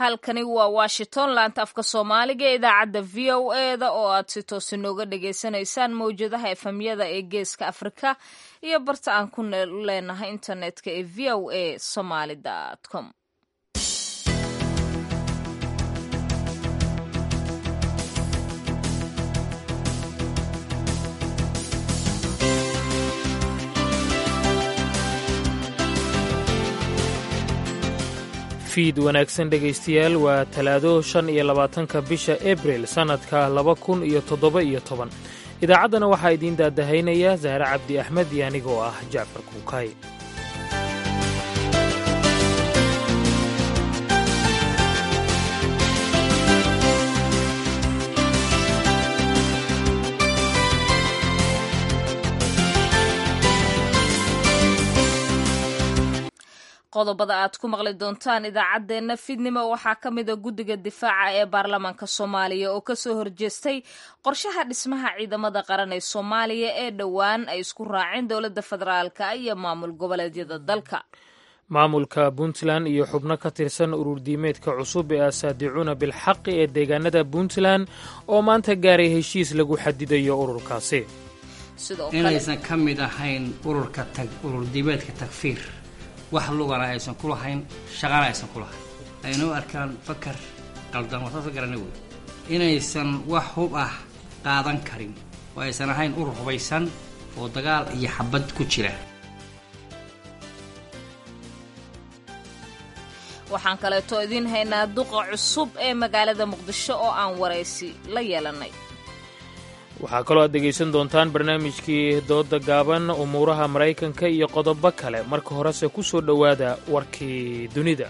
Halkani waa Washington, laanta afka Soomaaliga ee idaacadda VOA-da oo aad si toos inooga dhagaysanaysaan mowjadaha FM-yada ee Geeska Afrika iyo barta aan ku leenahay internetka ee voasomali.com. Fiid wanaagsan, dhegaystayaal. Waa Talaado, 25-ka bisha Abril, sannadka 2017. Idaacaddana waxaa idiin daadahaynaya Sahre Cabdi Axmed iyo anigoo ah Jacfar Kuukay. Qodobada aad ku maqli doontaan idaacaddeenna fiidnimo waxaa ka mida guddiga difaaca ee baarlamaanka Soomaaliya oo kasoo horjeestay qorshaha dhismaha ciidamada qaran ee Soomaaliya ee dhowaan ay isku raaceen dowladda federaalka iyo maamul goboleedyada dalka. Maamulka Puntland iyo xubno ka tirsan ururdiimeedka cusub ee Asaadicuuna Bilxaqi ee deegaanada Puntland oo maanta gaaray heshiis lagu xadidayo ururkaasi. Inaysan ka mid ahayn ururka ururdiimeedka Takfiir, wax lugana aysan ku lahayn, shaqana aysan ku lahayn, ayna u arkaan fakar qaldan, waa saas garana wey, inaysan wax hub ah qaadan karin oo aysan ahayn urur hubaysan oo dagaal iyo xabad ku jira. Waxaan kaleeto idiin haynaa duqa cusub ee magaalada Muqdisho oo aan waraysi la yeelanay. Waxaa kaloo aad dhegaysan doontaan barnaamijkii dooda gaaban, umuuraha Maraykanka iyo qodobo kale. Marka horese ku soo dhowaada warkii dunida.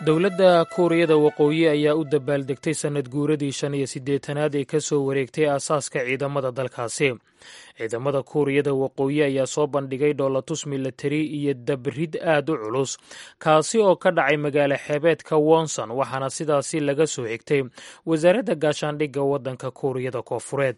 Dowladda Kuuriyada Waqooyi ayaa u dabaaldegtay sannad guuradii 85-aad ee ka soo wareegtay aasaaska ciidamada dalkaasi. Ciidamada Kuuriyada Waqooyi ayaa soo bandhigay dhoolatus milatari iyo dabrid aad u culus, kaasi oo ka dhacay magaalo xeebeedka Wonson, waxaana sidaasi laga soo xigtay wasaaradda gaashaandhigga waddanka Kuuriyada Koofureed.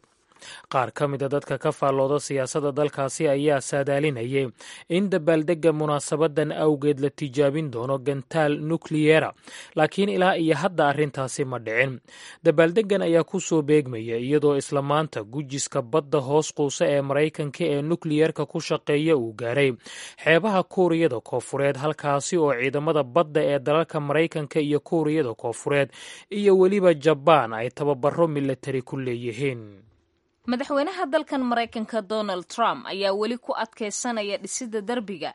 Qaar ka mida dadka ka faallooda siyaasadda dalkaasi ayaa saadaalinayay in dabaaldegga munaasabadan awgeed la tijaabin doono gantaal nukliyera, laakiin ilaa iyo hadda arrintaasi ma dhicin. Dabaaldeggan ayaa ku soo beegmaya iyadoo isla maanta gujiska badda hoos quusa ee Maraykanka ee nukliyerka ku shaqeeya uu gaaray xeebaha Kuuriyada Koofureed, halkaasi oo ciidamada badda ee dalalka Maraykanka iyo Kuuriyada Koofureed iyo weliba Jabaan ay tababaro milatari ku leeyihiin. Madaxweynaha dalkan Maraykanka Donald Trump ayaa weli ku adkaysanaya dhisidda derbiga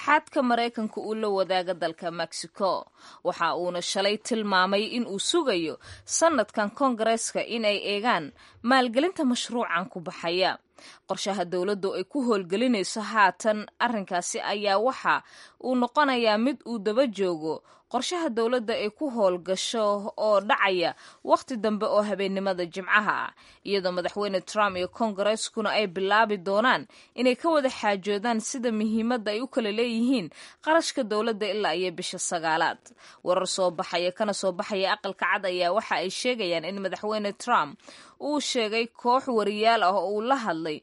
xadka Maraykanka uu la wadaaga dalka Mexico. Waxa uuna shalay tilmaamay in uu sugayo sanadkan koongareeska in ay eegaan maalgelinta mashruucan ku baxaya. Qorshaha dowladdu ay ku howlgelinayso haatan arrinkaasi ayaa waxa uu noqonayaa mid uu daba joogo qorshaha dowladda ay ku howlgasho oo dhacaya wakhti dambe oo habeennimada Jimcaha ah, iyadoo Madaxweyne Trump iyo koongareskuna ay bilaabi doonaan inay ka wada xaajoodaan sida muhiimadda ay u kala leeyihiin qarashka dowladda ilaa iyo bisha sagaalaad. Warar soo baxaya kana soo baxaya Aqalka Cad ayaa waxa ay sheegayaan in Madaxweyne Trump uu sheegay koox wariyaal ah oo uu la hadlay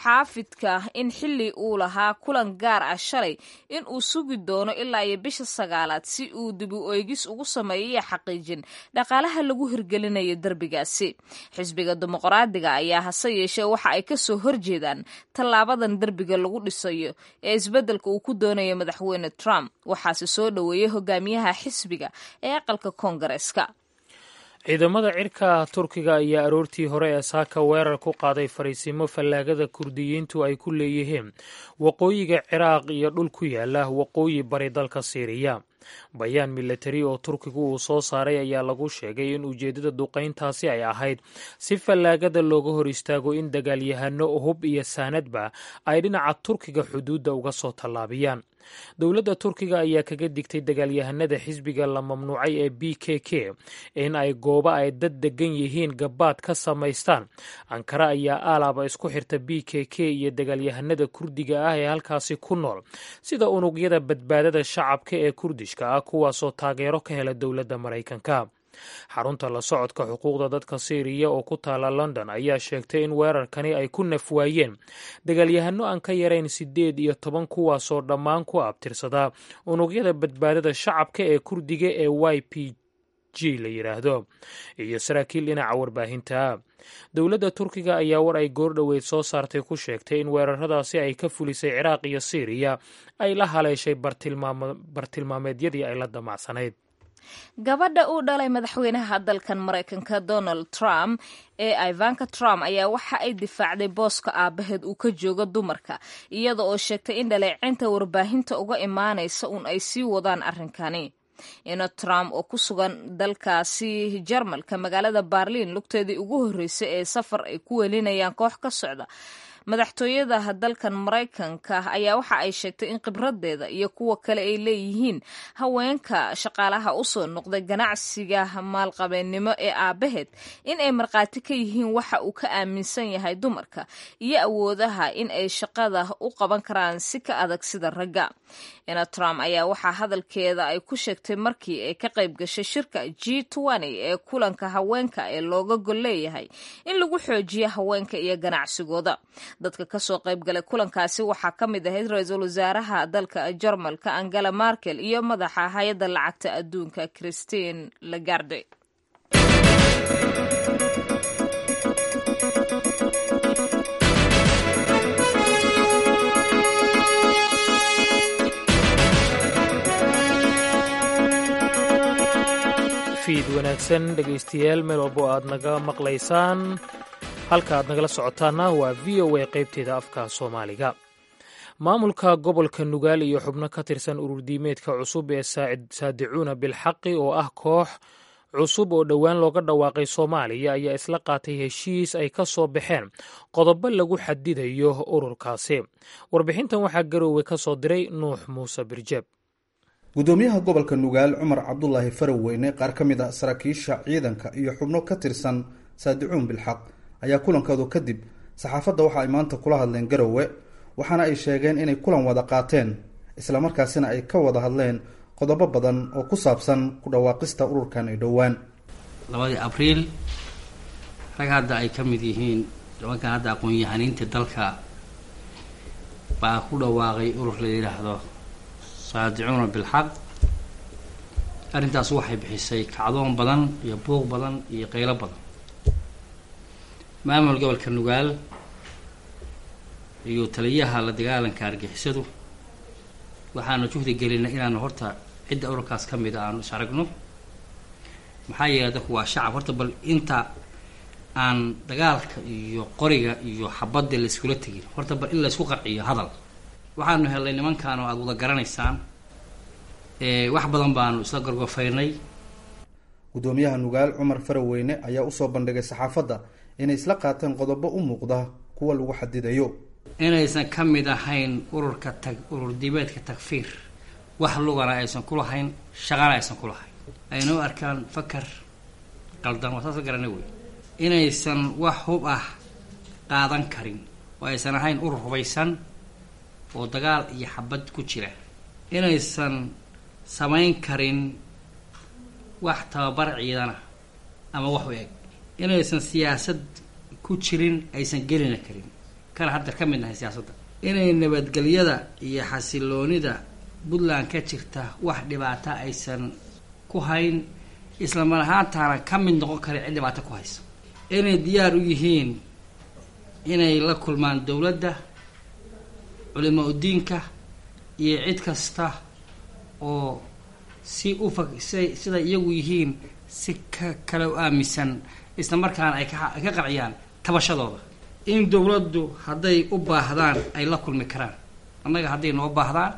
muxaafidka in xilli uu lahaa kulan gaar ah shalay in uu sugi doono ilaa iyo bisha sagaalaad si uu dib u eegis ugu sameeyo xaqiijin dhaqaalaha lagu hirgelinayo derbigaasi. Xisbiga Dimuqraadiga ayaa hase yeeshee waxa ay kasoo horjeedaan tallaabadan derbiga lagu dhisayo ee isbeddelka uu ku doonayo Madaxweyne Trump. Waxaase soo dhoweeyey hogaamiyaha xisbiga ee aqalka koongareeska. Ciidamada cirka Turkiga ayaa aroortii hore ee saaka weerar ku qaaday fariisimo fallaagada Kurdiyiintu ay ku leeyihiin waqooyiga Ciraaq iyo dhul ku yaala waqooyi bari dalka Siiriya. Bayaan milatari oo Turkigu uu soo saaray ayaa lagu sheegay in ujeeddada duqayntaasi ay ahayd si fallaagada looga hor istaago in dagaalyahano hub iyo saanadba ay dhinaca Turkiga xuduudda uga soo tallaabiyaan. Dowladda Turkiga ayaa kaga digtay dagaalyahanada xisbiga la mamnuucay ee PKK in ay goobo ay dad degan yihiin gabaad ka samaystaan. Ankara ayaa aalaaba isku xirta PKK iyo dagaalyahanada Kurdiga ah ee halkaasi ku nool, sida unugyada badbaadada shacabka ee Kurdishka ah, kuwaasoo taageero ka hela dowladda Maraykanka. Xarunta la socodka xuquuqda dadka Siiriya oo ku taala London ayaa sheegtay in weerarkani ay ku nafwaayeen dagaalyahano aan ka yarayn 18, kuwaasoo dhammaan ku abtirsadaa unugyada badbaadada shacabka ee Kurdiga ee YPG la yidhaahdo iyo saraakiil dhinaca warbaahinta. Dowladda Turkiga ayaa war ay goordhoweyd soo saartay ku sheegtay in weeraradaasi ay ka fulisay Ciraaq iyo Siiriya ay la haleeshay bartilmaameedyadii ay la damacsanayd. Gabadha uu dhalay madaxweynaha dalkan Maraykanka Donald Trump ee Ivanka Trump ayaa waxa ay difaacday booska aabaheed uu ka joogo dumarka, iyada oo sheegtay in dhaleecinta warbaahinta uga imaanaysa uun ay sii wadaan arrinkani. Ina Trump oo ku sugan dalkaasi Jarmalka magaalada Berliin lugteedii ugu horreysay ee safar ay ku welinayaan koox ka socda madaxtooyada dalkan Maraykanka ayaa waxa ay sheegtay in khibradeeda iyo kuwa kale ay leeyihiin haweenka shaqaalaha usoo noqday ganacsiga maalqabeennimo ee aabaheed in ay markhaati ka yihiin waxa uu ka aaminsan yahay dumarka iyo awoodaha in ay shaqada u qaban karaan si ka adag sida ragga. Ina Trump ayaa waxaa hadalkeeda ay ku sheegtay markii ay ka qayb gashay shirka G ee kulanka haweenka ee looga gol leeyahay in lagu xoojiyo haweenka iyo ganacsigooda. Dadka kasoo qayb galay kulankaasi waxaa ka mid ahayd ra-iisul wasaaraha dalka Jarmalka Angela Markel iyo madaxa hay-adda lacagta adduunka Christine Lagarde. Fiid wanaagsan dhegaystayaal, meel walbo aad naga maqlaysaan, halka aad nagala socotaana waa VOA qaybteeda afka Soomaaliga. Maamulka gobolka Nugaal iyo xubno ka tirsan ururdiimeedka cusub ee Saadicuuna Bilxaqi oo ah koox cusub oo dhowaan looga dhawaaqay Soomaaliya ayaa isla qaatay heshiis ay ka soo baxeen qodobo lagu xadidayo ururkaasi. Warbixintan waxaa Garoowe ka soo diray Nuux Muuse Birjeeb. Gudoomiyaha gobolka Nugaal Cumar Cabdulaahi Faraweyne, qaar ka mid a saraakiisha ciidanka iyo xubno ka tirsan Saadicuun Bilxaq ayaa kulankoodu kadib saxaafadda waxa ay maanta kula hadleen Garowe, waxaana ay sheegeen inay kulan wada qaateen islamarkaasina ay ka wada hadleen qodobo badan oo ku saabsan ku dhawaaqista ururkan ay dhowaan. 2dii Abriil rag hadda ay ka mid yihiin nimankan hadda aqoon-yahaniinta dalka baa ku dhawaaqay urur la yidhaahdo Saadicuuna Bilxaq. Arrintaas waxay bixisay kacdoon badan iyo buuq badan iyo qaylo badan. Maamul gobolka Nugaal iyo taliyaha la dagaalanka argixisadu waxaanu juhdi gelinay inaanu horta cidda ururkaas ka mid a aanu is aragno, maxaa yeelay dadku waa shacab. Horta bal inta aan dagaalka iyo qoriga iyo xabadda layskula tegin, horta bal in laysku qanciyo hadal. Waxaanu helnay nimankan oo aada wada garanaysaan, wax badan baanu isla gorgofaynay. Gudoomiyaha Nugaal Cumar Faraweyne ayaa usoo bandhigay saxaafadda inay isla qaateen qodobo u muuqda kuwa lagu xadidayo. Inaysan ka mid ahayn ururka tag urur diimeedka Takfiir, wax lugana aysan ku lahayn, shaqana aysan ku lahayn, ayna u arkaan fakar qaldan, waa saas garana wey. Inaysan wax hub ah qaadan karin oo aysan ahayn urur hubaysan oo dagaal iyo xabad ku jira. Inaysan samayn karin wax tababar ciidana ama wax u eg. Inaysan siyaasad ku jirin, aysan gelina karin, kana hadda ka mid nahay siyaasadda. Inay nabadgelyada iyo xasiloonida Puntland ka jirta wax dhibaata aysan ku hayn, isla mar ahaantaana ka mid noqon karin cid dhibaato ku haysa. Inay diyaar u yihiin inay la kulmaan dowladda, culimo udiinka iyo cid kasta oo si ufa siday iyagu yihiin si ka kale u aaminsan, isla markaana ay ka qanciyaan tabashadooda. In dowladdu hadday u baahdaan ay la kulmi karaan, annaga hadday noo baahdaan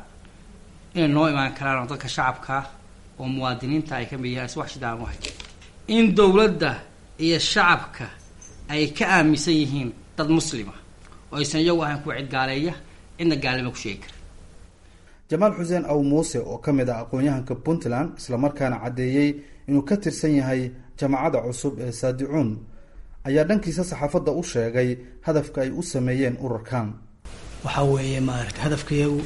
inay noo imaan karaan, oo dadka shacabkaa oo muwaadiniinta ay ka mid yihiin wax shidaan u hay. In dowladda iyo shacabka ay ka aaminsan yihiin dad muslima oo aysan iyagu ahayn kuwa cid gaaleeya, cidna gaalnimo ku sheegi kara. Jamaal Xuseen Aw Muuse oo ka mid ah aqoon-yahanka Puntland islamarkaana caddeeyey inuu ka tirsan yahay jamaacada cusub ee Saadicuun ayaa dhankiisa saxaafadda u sheegay hadafka ay u sameeyeen ururkan. Waxaa weeye maaragtay hadafkayagu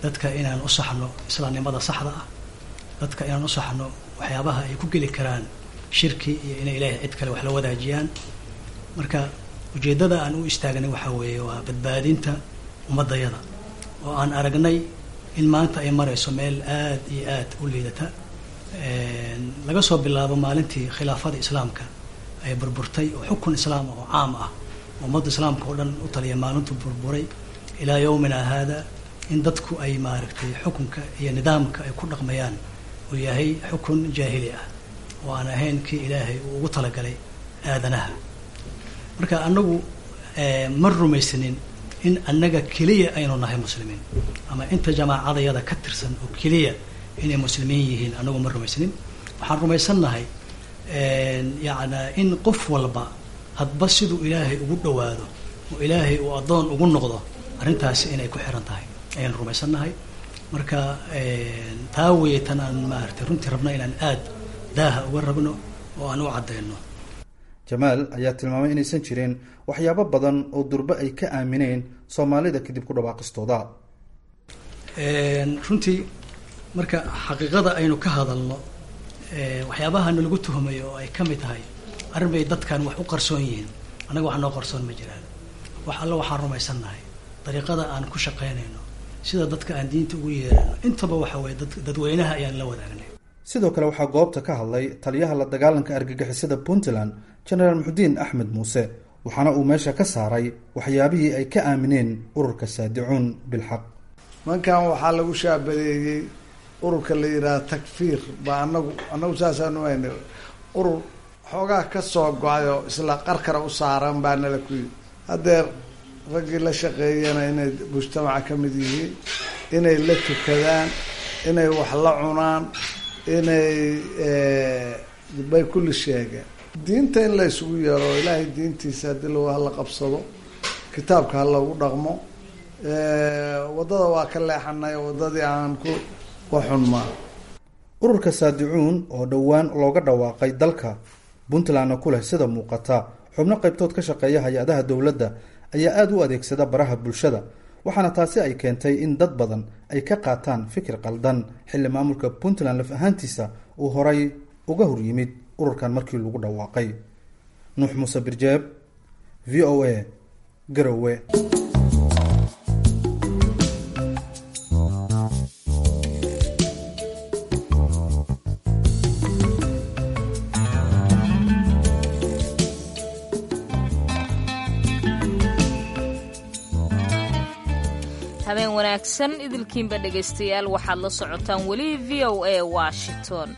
dadka inaan u saxno islaamnimada saxda ah, dadka inaan u saxno waxyaabaha ay ku geli karaan Shirki iyo inay Ilaahay cid kale wax la wadaajiyaan. Marka ujeeddada aan u istaagnay waxaa weeye waa badbaadinta ummaddayada oo aan aragnay in maanta ay marayso meel aad iyo aad u liidata. Laga soo bilaabo maalintii khilaafada islaamka ay burburtay oo xukun islaam ah oo caam ah ummadda islaamka oo dhan u taliya maalintuu burburay ilaa yowmina haada, in dadku ay maaragtay xukunka iyo nidaamka ay ku dhaqmayaan uu yahay xukun jaahili ah oo aan ahayn kii Ilaahay uu ugu talagalay aadanaha. Marka annagu ma rumaysanin in annaga keliya aynu nahay muslimiin ama inta jamaacadayada ka tirsan oo keliya inay muslimiin yihiin. Annagu ma rumaysanin. Waxaan rumaysannahay yacnaa in qof walba hadba siduu Ilaahay ugu dhowaado oo Ilaahay uu addoon ugu noqdo arrintaasi inay ku xiran tahay ayaan rumaysannahay. Marka taa weeye tan aan maaragtay runtii rabno inaan aad daaha uga rabno oo aan u caddayno. Jamaal ayaa tilmaamay inaysan jirin waxyaabo badan oo durbe ay ka aamineen Soomaalida kadib ku dhawaaqistooda. Runtii marka xaqiiqada aynu ka hadalno, waxyaabaha nalagu tuhumayo oo ay ka mid tahay arrin bay dadkan wax u qarsoon yihiin, annaga wax noo qarsoon ma jiraan. Wax alla waxaan rumaysannahay, dariiqada aan ku shaqaynayno, sida dadka aan diinta ugu yeerano, intaba waxa weye dadweynaha ayaan la wadaagnay. Sidoo kale waxaa goobta ka hadlay taliyaha la dagaalanka argagixisada Puntland, Jenaraal Muxudiin Axmed Muuse, waxaana uu meesha ka saaray waxyaabihii ay ka aamineen ururka Saadicuun Bilxaq. Mankan waxaa lagu shaabadeeyey ururka la yidhaha Takfiir baa anagu saasaanu haynay, urur xoogaa ka soo go-ay oo isla qarkara u saaran baa nala ku yidhi. Haddeer raggii la shaqeeyana inay mujtamaca ka mid yihiin, inay la tukadaan, inay wax la cunaan, inay bay kulli sheegeen. Diinta in la isugu yeero, Ilaahay diintiisa haddii lag hala qabsado, kitaabka ha lagu dhaqmo. Waddada waa ka leexanay, waddadii aan ku waxunmaa. Ururka Saadicuun oo dhowaan looga dhawaaqay dalka Puntlandna ku leh sida muuqata xubno qaybtood ka shaqeeya hay-adaha dowladda ayaa aada u adeegsada baraha bulshada, waxaana taasi ay keentay in dad badan ay ka qaataan fikir qaldan, xilli maamulka Puntland laf ahaantiisa uu horay uga hor yimid ururkan markii lagu dhawaaqay. Nuux Muuse Birjeeb, VOA, Garowe. Habeen wanaagsan idilkiinba dhegaystayaal, waxaad la socotaan weli VOA Washington.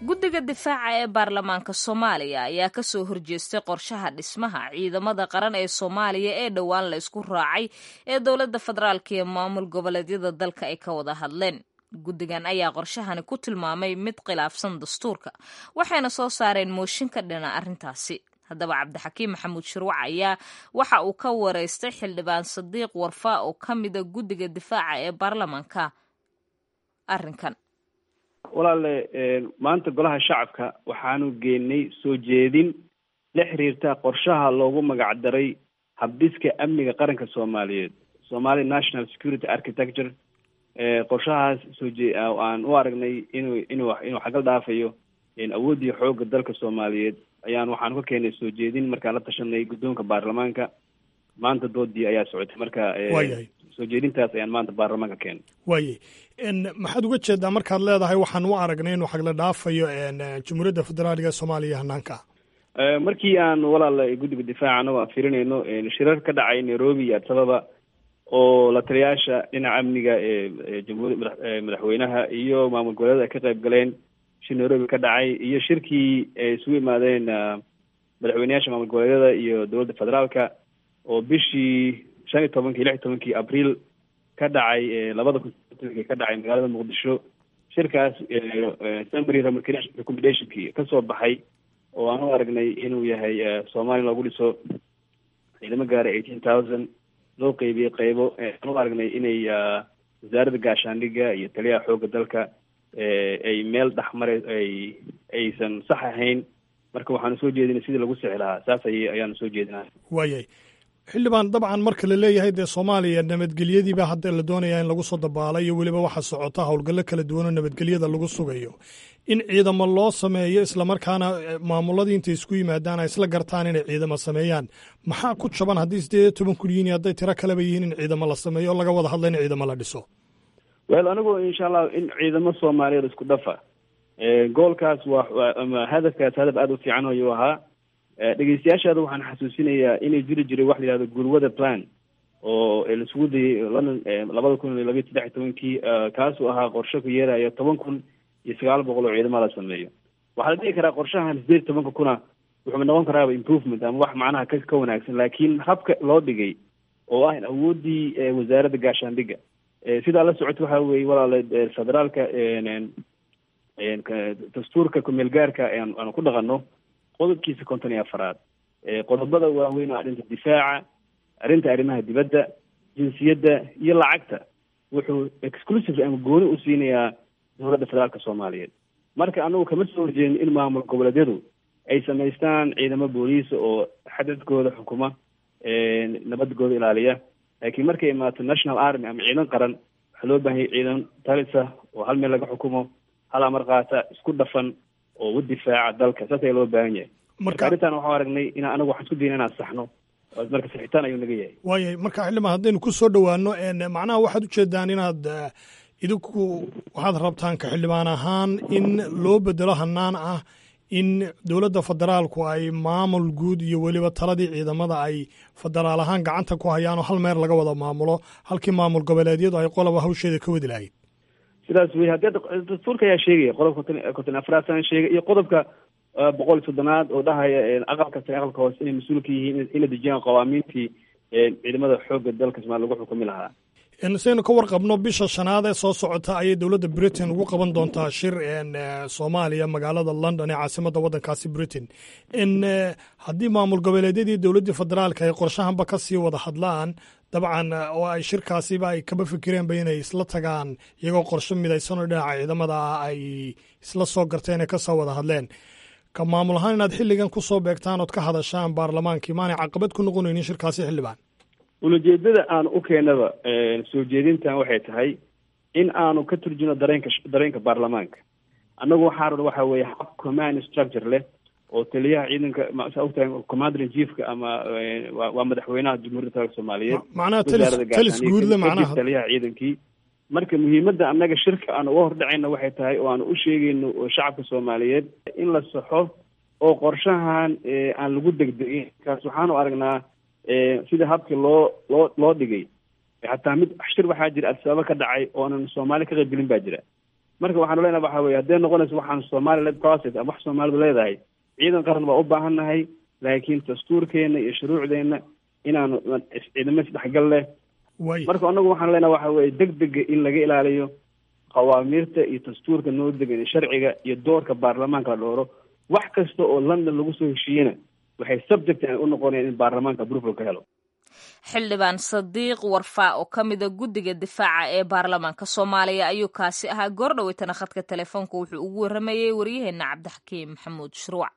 Guddiga difaaca ee baarlamaanka Soomaaliya ayaa kasoo horjeestay qorshaha dhismaha ciidamada qaran ee Soomaaliya ee dhowaan la isku raacay ee dowladda federaalka iyo maamul goboleedyada dalka ay ka wada hadleen. Guddigan ayaa qorshahani ku tilmaamay mid khilaafsan dastuurka, waxayna soo saareen mooshin ka dhina arrintaasi. Haddaba Cabdixakiim Maxamuud Shirwac ayaa waxa uu ka wareystay Xildhibaan Sadiiq Warfaa oo ka mida guddiga difaaca ee baarlamaanka arrinkan. Walaale, maanta Golaha Shacabka waxaanu geenay soo jeedin la xiriirta qorshaha loogu magacdaray habdhiska amniga qaranka Soomaaliyeed, Somali National Security Architecture. Qorshahaas sooje aan u aragnay inuu xagal dhaafayo awooddii xoogga dalka Soomaaliyeed ayaan waxaanu ka keenay soo jeedin. Markaan la tashanay guddoonka baarlamaanka, maanta doodii ayaa socotay. Marka soo jeedintaas ayaan maanta baarlamaanka keenay. Waayay, maxaad uga jeedaa markaad leedahay waxaan u aragnay inuu xagla dhaafayo Jamhuuriyadda Federaaliga Soomaaliya hanaanka? Markii aan walaal guddiga difaaca anagoo aan fiirinayno shirar ka dhacay Nairobi iyo Addis Ababa oo la taliyaasha dhinaca amniga ee jamhuuriya madaxweynaha iyo maamul goboleeda ay ka qayb galeen, shir Nairobi ka dhacay iyo shirkii ay isugu yimaadeen madaxweyneyaasha maamul goboleedyada iyo dowladda federaalka oo bishii 15-kii 16-kii Abriil ka dhacay 2010-kii ka dhacay magaalada Muqdisho, shirkaas summary recommendationkii kasoo baxay oo aan u aragnay inuu yahay Soomaaliya loogu dhiso ciidamo gaaray 18,000 loo qeybiyey qeybo, aan u aragnay inay wasaaradda gaashaandhigga iyo taliyaha xoogga dalka ay meel dhexmare ay aysan sax ahayn. Marka waxaanu soo jeedinay sidii lagu sixi lahaa, saas ay ayaanu soo jeedinaa. Waayay. Xildhibaan, dabcan marka la leeyahay dee Soomaaliya nabadgelyadiiba hadda la doonayaa in lagu soo dabaalayo, weliba waxaa socota howlgallo kala duwan oo nabadgelyada lagu sugayo, in ciidamo loo sameeyo islamarkaana maamuladii intay isku yimaadaan ay isla gartaan inay ciidamo sameeyaan, maxaa ku jaban haddii 18,000 yihiin iyo hadday tiro kaleba yihiin in ciidamo la sameeyo oo laga wada hadla in ciidamo la dhiso? Well, anigu insha Allah in ciidamo Soomaaliyeed isku dhafa, goolkaas waa ama hadafkaas hadaf aada u fiican ayuu ahaa. Dhegeystayaashaada waxaan xasuusinayaa inay jiri jiray wax la yihahdo gurwada plan oo laisugu dayay London 2012, 13-kii, kaasuu ahaa qorshe ku yeeraya 10,900 oo ciidamo la sameeyo. Waxaa la dhihi karaa qorshahan 18,000-kuna wuxuu noqon karaaba improvement ama wax macnaha ka wanaagsan, laakiin habka loo dhigay oo ah in awooddii wasaaradda gaashaandhigga sidaa la socota waxa weeye walaale, federaalka dastuurka kumeel gaarka aanu ku dhaqano qodobkiisa 54aad, qodobada waaweyn oo arrinta difaaca, arrinta arrimaha dibadda, jinsiyadda iyo lacagta, wuxuu exclusively ama gooni u siinayaa dowladda federaalka Soomaaliyeed. Marka anagu kama soo horjeedin in maamul goboleedyadu ay samaystaan ciidamo booliis oo xadadkooda xukuma, nabadgooda ilaaliya, laakiin markay imaato national army ama ciidan qaran, waxaa loo baahanyay ciidan talisa oo hal meel laga xukumo, hal amar qaata, isku dhafan oo u difaaca dalka. Saas ayaa loo baahan yahay. Marka arrintan waxaan aragnay in anagu waxaan isku dayna inaan saxno, marka saxitaan ayuu naga yahay. Waayahay. Marka xildhibaan, haddaynu ku soo dhowaano, macnaha waxaad ujeedaan inaad idinku waxaad rabtaan ka xildhibaan ahaan in loo bedelo hanaan ah in dowladda federaalku ay maamul guud iyo weliba taladii ciidamada ay federaal ahaan gacanta ku hayaan oo hal meer laga wada maamulo, halkii maamul goboleedyadu ay qoloba hawsheeda ka wadi lahayd. Sidaas wey. Haddii dastuurka ayaa sheegaya qodobka 54aad sana sheegay iyo qodobka 130aad oo dhahaya aqalka sare, aqalka hoose inay mas-uul ka yihiin inay dejiyaan qawaamiintii ciidamada xoogga dalka Somalia lagu xukumi lahaa. Saynu ka warqabno, bisha shanaad ee soo socota ayay dowladda Britain ugu qaban doontaa shir Soomaaliya magaalada London ee caasimadda waddankaasi Britain. Haddii maamul goboleedyadii dowladdii federaalka ay qorshahanba ka sii wada hadlaan, dabcan oo ay shirkaasiba ay kaba fikireenba inay isla tagaan iyagoo qorsho midaysanoo dhinaca ciidamada ah ay isla soo garteen ee kasoo wada hadleen, ka maamul ahaan inaad xilligan ku soo beegtaan ood ka hadashaan baarlamaankii, maanay caqabad ku noqonaynin shirkaasi, xildhibaan? Ulajeedada aanu u keenaba soo jeedintan waxay tahay in aanu ka turjino dareenka baarlamaanka. Annagu waxaa rabna waxa weeye hab command structure leh oo taliyaha ciidanka, saa ogtahay, commander in chiefka ama waa madaxweynaha Jamhuuriyadda Federaalka Soomaaliyeed. Macnaha talis guudle macnaha. Taliyaha ciidankii. Marka muhiimadda annaga shirka aan uga hordhacayna waxay tahay oo aan u sheegayno shacabka Soomaaliyeed in la saxo oo qorshahan aan lagu degdegin. Kaas waxaanu aragnaa sida habkii loo dhigay, xataa mid shir waxaa jira Adsaaba ka dhacay oo aanan Soomaali ka qaybgelin baa jira. Marka waxaanu leenahay waxa weye hadday noqonayso waxaan Somali led process ama wax Soomaalidu leedahay, ciidan qaran baa u baahan nahay, laakiin dastuurkeena iyo shuruucdeena inaanu ciidamo isdhexgal leh. Marka anagu waxaan leenahay waxa weye degdega in laga ilaaliyo, qawaamiirta iyo dastuurka noo degan, sharciga iyo doorka baarlamaanka la dhooro. Wax kasta oo London lagu soo heshiiyena waxay subject u noqonayaan in baarlamaanka approval ka helo. Xildhibaan Sadiiq Warfaa oo ka mida guddiga difaaca ee baarlamaanka Soomaaliya ayuu kaasi ahaa. Goordhaweytana khadka telefoonka wuxuu ugu warramayey waryaheena Cabdixakiim Maxamuud Shruuc.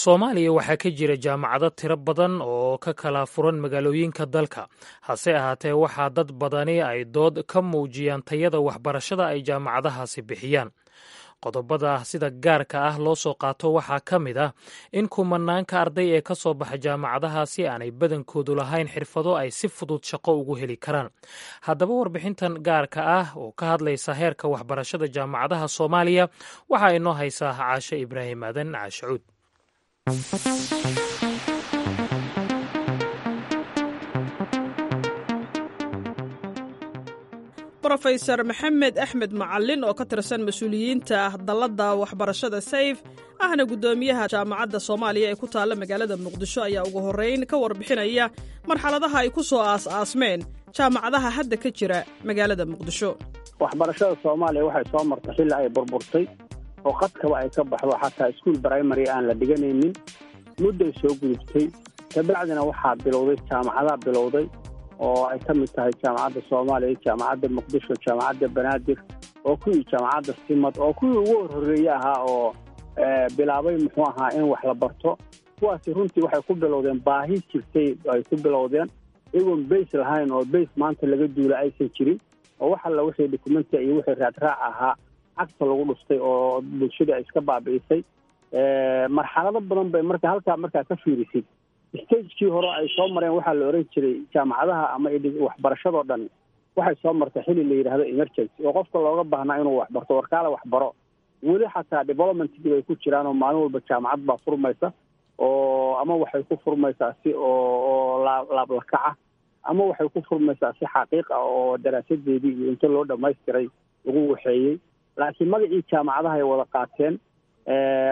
Soomaaliya waxaa ka jira jaamacado tiro badan oo ka kala furan magaalooyinka dalka. Hase ahaatee, waxaa dad badani ay dood ka muujiyaan tayada waxbarashada ay jaamacadahaasi bixiyaan. Qodobada sida gaarka ah loo soo qaato waxaa ka mid ah in kumanaanka arday ee ka soo baxa jaamacadahaasi aanay badankoodu lahayn xirfado ay si fudud shaqo ugu heli karaan. Haddaba, warbixintan gaarka ah oo ka hadlaysa heerka waxbarashada jaamacadaha Soomaaliya waxaa inoo haysaa Caashe Ibraahim Aadan Caashacuud. Brofesor Maxamed Axmed Macalin oo ka tirsan mas-uuliyiinta dalladda waxbarashada Sayf, ahna guddoomiyaha Jaamacadda Soomaaliya ee ku taalla magaalada Muqdisho, ayaa ugu horrayn ka warbixinaya marxaladaha ay ku soo aas-aasmeen jaamacadaha hadda ka jira magaalada Muqdisho. Waxbarashada Soomaaliya waxay soo martay xilli ay burburtay oo qadkaba ay ka baxdo, xataa iskuul brimary aan la dhiganaynin. Mudday soo gudubtay, kabacdina waxaa bilowday jaamacadaha bilowday oo ay ka mid tahay Jaamacadda Soomaaliya, Jaamacadda Muqdisho, Jaamacadda Banaadir, oo kuwii Jaamacadda Simad, oo kuwii ugu horhoreeye ahaa oo bilaabay muxuu ahaa in wax la barto. Kuwaasi runtii waxay ku bilowdeen baahi jirtay ay ku bilowdeen, iyagoon base lahayn oo base maanta laga duula aysan jirin, oo wax alla wixii documenti iyo wixii raadraac ahaa cagta lagu dhuftay oo bulshada ay iska baabi'isay. Marxalado badan bay marka halkaa markaa ka fiirisid stagekii hore ay soo mareen. Waxaa la oran jiray jaamacadaha ama waxbarashadoo dhan waxay soo martay xilli la yidhaahdo emergency, oo qofka looga baahnaa inuu waxbarto, warkaale waxbaro. Weli xataa developmentkii bay ku jiraan, oo maalin walba jaamacad baa furmaysa, oo ama waxay ku furmaysaa si oo laablakaca, ama waxay ku furmaysaa si xaqiiq ah oo daraasadeedii iyo inta loo dhamaystiray lagu waxeeyey. Laakiin magacii jaamacadaha ay wada qaateen,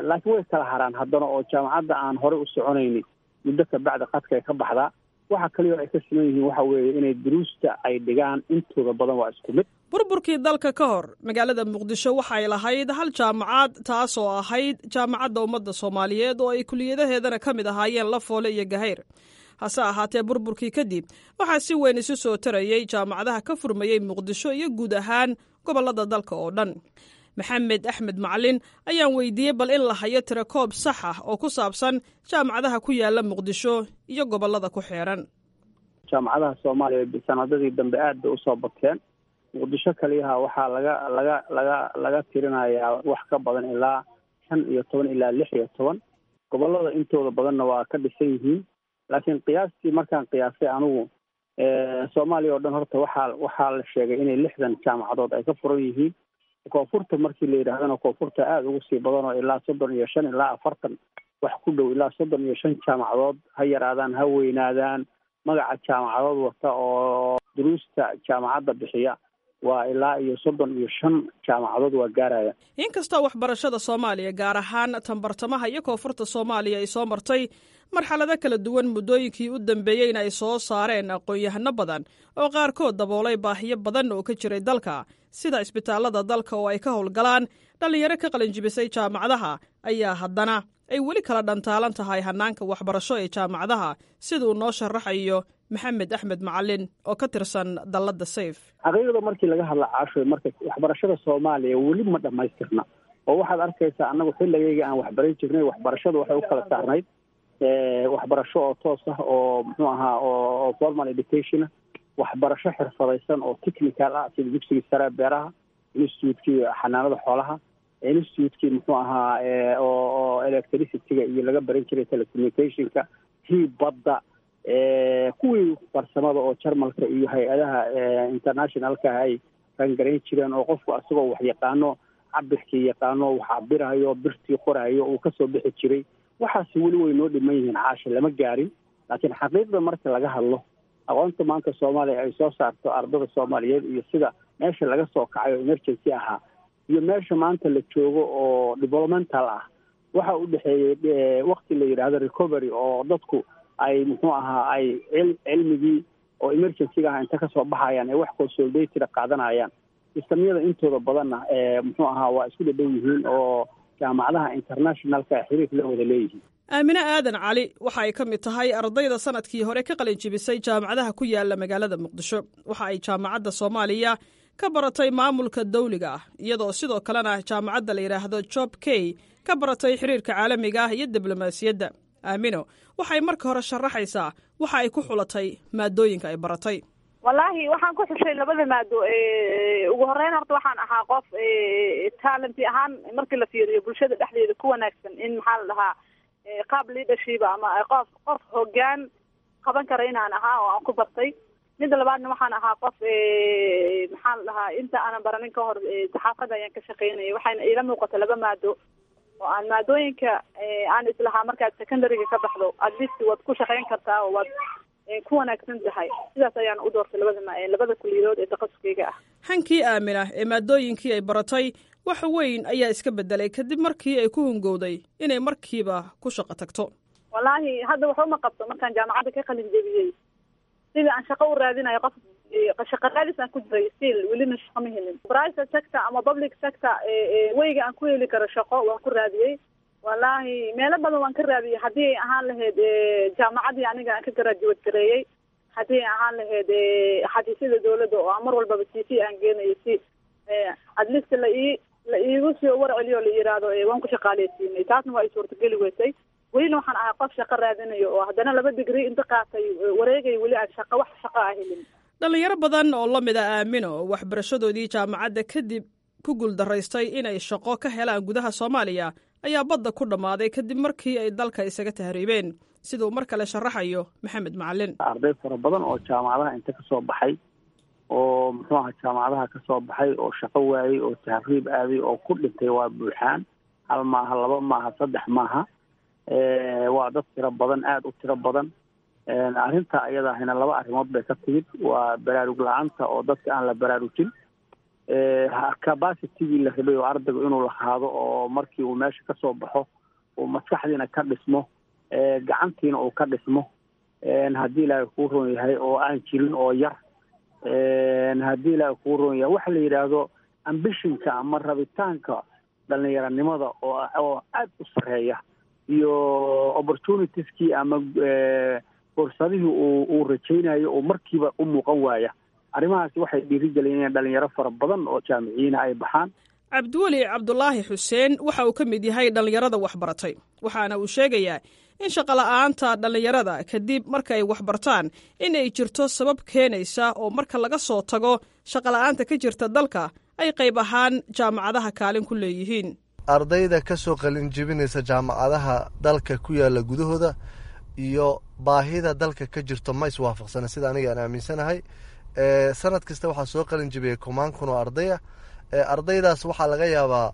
laakiin way kala haraan haddana, oo jaamacadda aan horey u soconaynin muddo ka bacdi qadka ay ka baxdaa. Waxa kaliya ay ka siman yihiin waxa weeye inay duruusta ay dhigaan intooda badan waa isku mid. Burburkii dalka ka hor, magaalada Muqdisho waxay lahayd hal jaamacad, taasoo ahayd Jaamacadda Ummadda Soomaaliyeed, oo ay kuliyadaheedana ka mid ahaayeen Lafoole iyo Gahayr. Hase ahaatee, burburkii kadib waxaa si weyn isu soo tarayey jaamacadaha ka furmayey Muqdisho iyo guud ahaan gobollada dalka oo dhan. Maxamed Axmed Macalin ayaan weydiiyey bal in la hayo tirakoob sax ah oo ku saabsan jaamacadaha ku yaala Muqdisho iyo gobollada ku xeeran. Jaamacadaha Soomaaliya sanadadii dambe aad bay usoo bateen. Muqdisho kaliyaha waxaa laga tirinayaa wax ka badan ilaa 15 ilaa 16. Gobollada intooda badanna waa ka dhisan yihiin, laakiin qiyaastii markaan qiyaasay anigu, Soomaaliya oo dhan horta waxaa la sheegay inay 60 jaamacadood ay ka furan yihiin. Koonfurta markii la yidhaahdana, koonfurta aada ugu sii badan, oo ilaa 35 ilaa 40 wax ku dhow, ilaa 35 jaamacadood, ha yaraadaan ha weynaadaan, magaca jaamacadood wata oo duruusta jaamacadda bixiya waa ilaa iyo 35 jaamacadood waa gaaraya. Inkastoo waxbarashada Soomaaliya, gaar ahaan tanbartamaha iyo koonfurta Soomaaliya, ay soo martay marxalado kala duwan muddooyinkii u dambeeyeyna ay soo saareen aqoon-yahano badan oo qaarkood daboolay baahiyo badan oo ka jiray dalka, sida isbitaallada dalka oo ay ka howlgalaan dhallinyaro ka qalinjibisay jaamacadaha, ayaa haddana ay weli kala dhantaalan tahay hannaanka waxbarasho ee jaamacadaha, siduu noo sharaxayo Maxamed Axmed Macalin oo ka tirsan dalladda Sayf. Xaqiiqda markii laga hadla, Caasho, marka waxbarashada Soomaaliya weli ma dhammaystirna, oo waxaad arkaysaa annagu xilligayga aan waxbaran jirnay waxbarashadu waxay u kala saarnayd waxbarasho oo toos ah oo muxuu ahaa oo formal education ah, waxbarasho xirfadaysan oo technical ah, sida dugsigii sare beeraha, institutekii xanaanada xoolaha, institutekii muxuu ahaa oo electricityga iyo laga baran jiray telecommunicationka, tii badda, kuwii farsamada oo Jarmalka iyo hay-adaha internationalka ay rangarayn jireen, oo qofku asagoo wax yaqaano, cabirkii yaqaano, wax cabirayo, birtii qorayo uu kasoo bixi jiray. Waxaas weli way noo dhiman yihiin, Caasha, lama gaarin. Laakiin xaqiiqda marka laga hadlo, aqoonta maanta Soomaaliya ay soo saarto, ardada Soomaaliyeed iyo sida meesha laga soo kacay oo emergency ahaa iyo meesha maanta la joogo oo developmental ah, waxa u dhexeeyey wakti la yidhaahdo recovery, oo dadku ay muxuu ahaa ay cilmigii oo emergencyga ah inta kasoo baxayaan ay wax consolidated qaadanayaan. Sistamyada intooda badanna muxuu ahaa waa isku dhadhow yihiin, oo jaamacadaha internationalka xiriir la wada leeyihiin. Aamine Aadan Cali waxa ay ka mid tahay ardayda sanadkii hore ka qalin jibisay jaamacadaha ku yaala magaalada Muqdisho. Waxa ay Jaamacadda Soomaaliya ka baratay maamulka dawliga ah, iyadoo sidoo kalena jaamacadda la yidhaahdo Job Key ka baratay xiriirka caalamiga ah iyo diblomaasiyadda. Aamino waxay marka hore sharaxaysaa waxa ay ku xulatay maadooyinka ay baratay. Wallaahi, waxaan ku xushay labada maado, ugu horeyn horta waxaan ahaa qof talent ahaan markii la fiiriyo bulshada dhexdeeda ku wanaagsan, in maxaa la dhahaa qaab leadership ama qof hoggaan qaban kara inaan ahaa oo aan ku bartay. Midda labaadna, waxaan ahaa qof maxaa la dhahaa inta aanan baranin ka hor saxaafadda ayaan ka shaqeynayay. Waxayna iila muuqata laba maado oo aan maadooyinka aan islahaa markaad secondaryga ka baxdo at least waad ku shaqeyn kartaa oo waad ku wanaagsan tahay. Sidaas ayaan u doortay labada kuliyadood ee takhasuskeyga ah. Hankii Aamina ee maadooyinkii ay baratay wax weyn ayaa iska bedelay kadib markii ay ku hungowday inay markiiba ku shaqo tagto. Wallaahi, hadda waxba ma qabto. Markaan jaamacadda ka qalin jebiyey, sidii aan shaqo u raadinayo, qof shaqo raadis aan ku jiray, still welina shaqo ma helin. Private sector ama public sector weyga aan ku heli karo shaqo waan ku raadiyey. Wallaahi, meelo badan waan ka raadiyey, haddii ay ahaan lahayd jaamacaddii aniga aan ka graduate gareeyey. Haddii ay ahaan lahayd xafiisyada dowladda oo aan mar walbaba CV aan geenayo, si at least la iigu soo warceliyo, la yiraahdo waan ku shaqaaleysiinay. Taasna waa ay suurtageli weysay. Welina waxaan ahay qof shaqo raadinayo oo haddana 2 digrii inta qaatay wareegay, weli aan shaqo, wax shaqo ah helin. Dhallinyaro badan oo la mid a Aamino oo waxbarashadoodii jaamacadda kadib ku guuldaraystay inay shaqo ka helaan gudaha Soomaaliya ayaa badda ku dhammaaday kadib markii ay dalka isaga tahriibeen, siduu mar kale sharaxayo Maxamed Macalin. Arday fara badan oo jaamacadaha inta ka soo baxay, oo muxuu aha, jaamacadaha ka soo baxay oo shaqo waayey oo tahriib aaday oo ku dhintay waa buuxaan. Hal maaha, laba maaha, saddex maaha, waa dad tiro badan, aada u tiro badan. Arrinta ayada ahina laba arrimood bay ka timid: waa baraarug la-aanta oo dadka aan la baraarujin, capacitygii la rabay oo ardaygu inuu lahaado, oo markii uu meesha ka soo baxo uu maskaxdiina ka dhismo, gacantiina uu ka dhismo, haddii Ilaahay kuu roon yahay, oo aan jirin oo yar. Haddii Ilaahay kuu roon yahay, waxa la yidhaahdo ambitionka ama rabitaanka dhalinyaranimada oo aada u sarreeya iyo opportunitieskii ama fursadihii uu rajaynayo oo markiiba u muuqan waaya. Arrimahaasi waxay dhiirigeliyeen in dhalinyaro fara badan oo jaamiciyiina ay baxaan. Cabdiweli Cabdulaahi Xuseen waxa uu ka mid yahay dhallinyarada waxbaratay, waxaana uu sheegayaa in shaqola'aanta dhallinyarada kadib markaay waxbartaan in ay jirto sabab keenaysa, oo marka laga soo tago shaqola'aanta ka jirta dalka ay qayb ahaan jaamacadaha kaalin ku leeyihiin. Ardayda ka soo qalin jebinaysa jaamacadaha dalka ku yaala gudahooda iyo baahida dalka ka jirto ma iswaafaqsana, sida aniga aan aaminsanahay. Sanad kasta waxaa soo qalin jebiyay kumaan kun oo ardaya. Ardaydaas waxaa laga yaabaa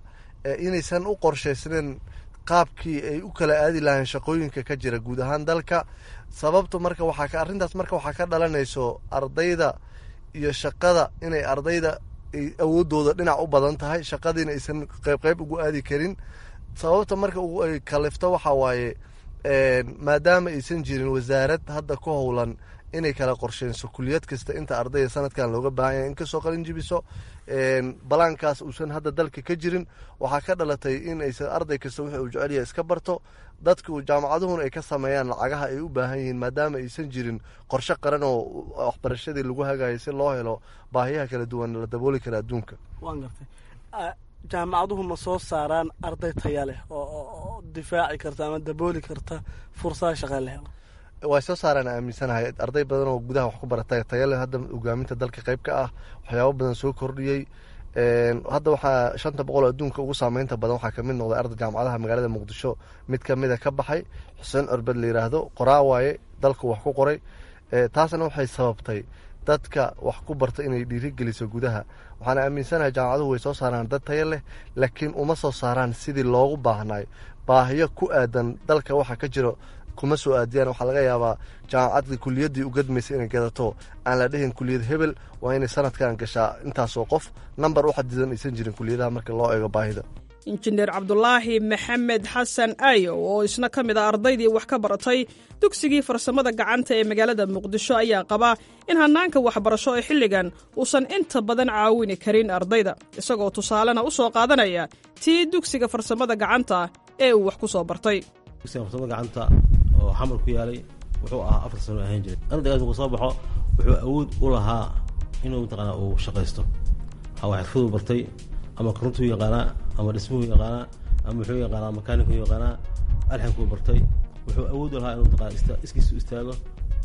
inaysan u qorshaysnayn qaabkii ay u kala aadi lahayn shaqooyinka ka jira guud ahaan dalka. Sababtu marka waxaa ka arrintaas marka waxaa ka dhalanayso ardayda iyo shaqada inay ardayda awooddooda dhinac u badan tahay, shaqadiina aysan qayb qayb ugu aadi karin. Sababta marka ay kalifto waxaa waaye, maadaama aysan jirin wasaarad hadda ku howlan inay kala qorsheynso kuliyad kasta inta ardayda sanadkan looga baahan yahay in kasoo qalin jibiso, balaankaas uusan hadda dalka ka jirin, waxaa ka dhalatay in aysan arday kasta wixii uu jecel yahay iska barto, dadku jaamacaduhuna ay ka sameeyaan lacagaha ay u baahan yihiin, maadaama aysan jirin qorshe qaran oo waxbarashadii lagu hagayo si loo helo baahiyaha kala duwan la dabooli kara adduunka. Waan gartay. Jaamacaduhu ma soo saaraan arday taya leh oo difaaci karta ama dabooli karta fursada shaqa la helo? Way soo saaraan aaminsanahay. Arday badan oo gudaha wax ku baratay taya leh hadda hogaaminta dalka qayb ka ah, waxyaabo badan soo kordhiyey. Hadda waxaa 500 adduunka ugu saameynta badan waxaa kamid noqday arday jaamacadaha magaalada Muqdisho mid kamida ka baxay, Xuseen Orbed la yiraahdo, qoraa waaye, dalku wax ku qoray. Taasna waxay sababtay dadka wax ku barta inay dhiirigeliso gudaha. Waxaan aaminsanahay jaamacaduhu way soo saaraan dad tayo leh, laakiin uma soo saaraan sidii loogu baahnay. Baahiyo ku aadan dalka waxa ka jiro kuma soo aadiyaan. Waxaa laga yaabaa jaamacadda kuliyaddii u gadmaysa inay gadato, aan la dhihin kuliyad hebel waa inay sanadkan gashaa intaasoo qof, number u xadidan aysan jirin kuliyadaha marka loo eego baahida. Injineer Cabdulaahi Maxamed Xasan Ayo oo isna ka mid a ardaydii wax ka baratay dugsigii farsamada gacanta ee magaalada Muqdisho ayaa qaba in hannaanka waxbarasho ee xilligan uusan inta badan caawini karin ardayda, isagoo tusaalena u soo qaadanaya tii dugsiga farsamada gacanta ee uu wax ku soo bartay. Dugsiga farsamada gacanta oo Xamar ku yaalay wuxuu ahaa 4 sano ahaan jiray. Ardaygaas markuu soo baxo wuxuu awood u lahaa inuu mataqaanaa uu shaqaysto, waxaa xirfaduu bartay, ama korontuu yaqaanaa, ama dhismuhu yaqaanaa, ama wuxuu yaqaanaa makaanikuu yaqaanaa, alxankuu bartay. Wuxuu awood u lahaa inuu mataqaanaa iskiisu istaago,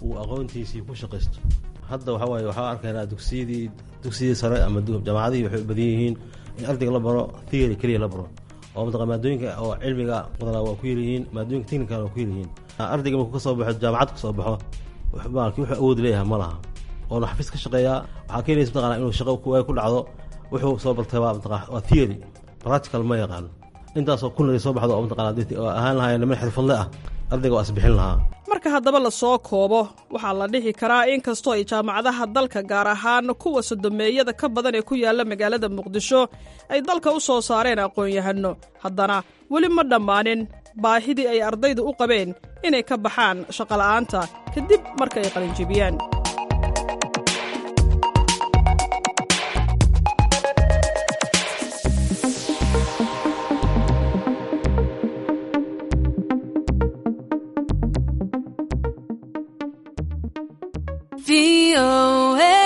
uu aqoontiisii ku shaqaysto. Hadda waxaa waaye waxaa arkaynaa dugsiyadii sare ama jaamacadihii waxay u badan yihiin in ardayga la baro theory keliya la baro, oo mataqa maadooyinka oo cilmiga badanaa waa ku yaryihiin, maadooyinka technicalna waa ku yaryihiin. Ardayga markuu kasoo baxo jaamacad kasoo baxo, maalkii wuxuu awood leeyahay ma laha, oona xafiis ka shaqeeyaa. Waxaa keenaysa mataqaanaa inuu shaqo ku dhacdo. Wuxuu soo bartay waa mataqa waa theory, practical ma yaqaano. Intaasoo kun soo baxdo oo mataqaanaa oo ahaan lahaayeen niman xirfadle ah, ardayga waa isbixin lahaa. Marka haddaba la soo koobo, waxaa la dhihi karaa in kastoo ay jaamacadaha dalka, gaar ahaan kuwa sodomeeyada ka badan ee ku yaalla magaalada Muqdisho, ay dalka u soo saareen aqoon-yahano, haddana weli ma dhammaanin baahidii ay ardaydu u qabeen inay ka baxaan shaqola'aanta kadib marka ay qalinjibiyaan. VOA.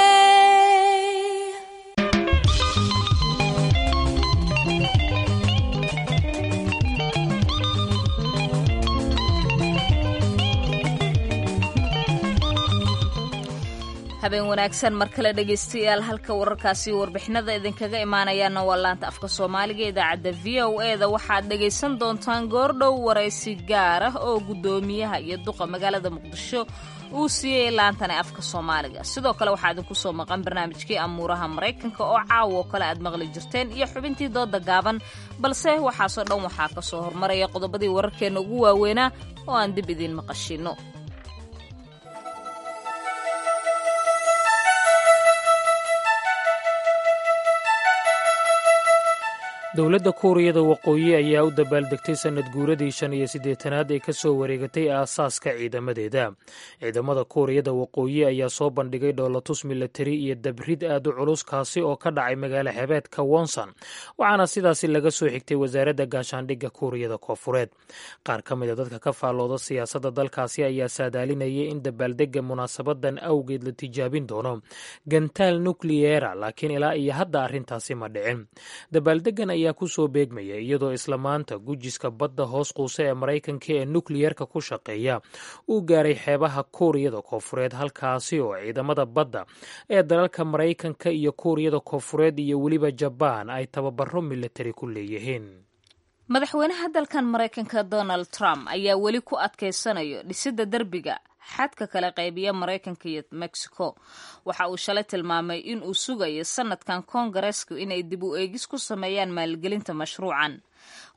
Habeen wanaagsan mar kale dhegaystayaal. Halka wararkaasi warbixinada idinkaga imaanayaana waa laanta afka Soomaaliga idaacadda VOA-da. Waxaad dhegaysan doontaan goordhow waraysi gaar ah oo guddoomiyaha iyo duqa magaalada Muqdisho uu siiyey laantani afka Soomaaliga. Sidoo kale waxaa idinku soo maqan barnaamijkii amuuraha Maraykanka oo caawo kale aad maqli jirteen iyo xubintii dooda gaaban, balse waxaasoo dhan waxaa ka soo hormaraya qodobadii wararkeenna ugu waaweynaa oo aan dib idiin maqashiinno. Dowladda Kuuriyada Waqooyi ayaa u dabaaldegtay sanad guuradii 85aad ee ka soo wareegatay aasaaska ciidamadeeda. Ciidamada Kuuriyada Waqooyi ayaa soo bandhigay dhoolatus milatari iyo dabrid aad u culus, kaasi oo ka dhacay magaalo xebeedka Wonsan, waxaana sidaasi laga soo xigtay wasaaradda gaashaandhigga Kuuriyada Koofureed. Qaar ka mid a dadka ka faallooda siyaasadda dalkaasi ayaa saadaalinayay in dabaaldegga munaasabadan awgeed la tijaabin doono gantaal nukliyeera, laakiin ilaa iyo hadda arrintaasi ma dhicin. Dabaaldegan ayaa ku soo beegmaya iyadoo isla maanta gujiska badda hoos quuse ee Maraykanka ee nukliyerka ku shaqeeya uu gaaray xeebaha Kuuriyada Koofureed, halkaasi oo ciidamada badda ee dalalka Maraykanka iyo Kuuriyada Koofureed iyo weliba Jabaan ay tababaro milatari ku leeyihiin. Madaxweynaha dalkan Maraykanka Donald Trump ayaa weli ku adkaysanayo dhisidda derbiga xadka kala qaybiya Maraykanka iyo Mexico. Waxa uu shalay tilmaamay in uu sugayo sanadkan koongareesku inay dib u eegis ku sameeyaan maalgelinta mashruucan.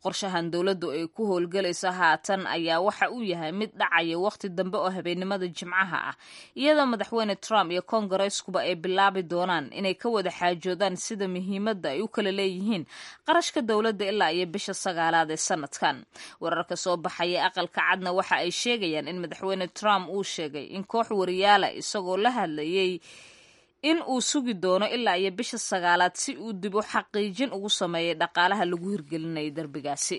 Qorshahan dowladdu ay ku howlgelayso haatan ayaa waxa uu yahay mid dhacaya wakhti dambe oo habeennimada Jimcaha ah, iyadoo madaxweyne Trump iyo koongareeskuba ay bilaabi doonaan inay ka wada xaajoodaan sida muhiimadda ay u kala leeyihiin qarashka dowladda ilaa iyo bisha 9aad ee sanadkan. Wararka soo baxaya aqalka cadna waxa ay sheegayaan in madaxweyne Trump uu sheegay in koox wariyaala isagoo la hadlayay in uu sugi doono ilaa iyo bisha 9aad si uu dib u xaqiijin ugu sameeyay dhaqaalaha lagu hirgelinayay derbigaasi.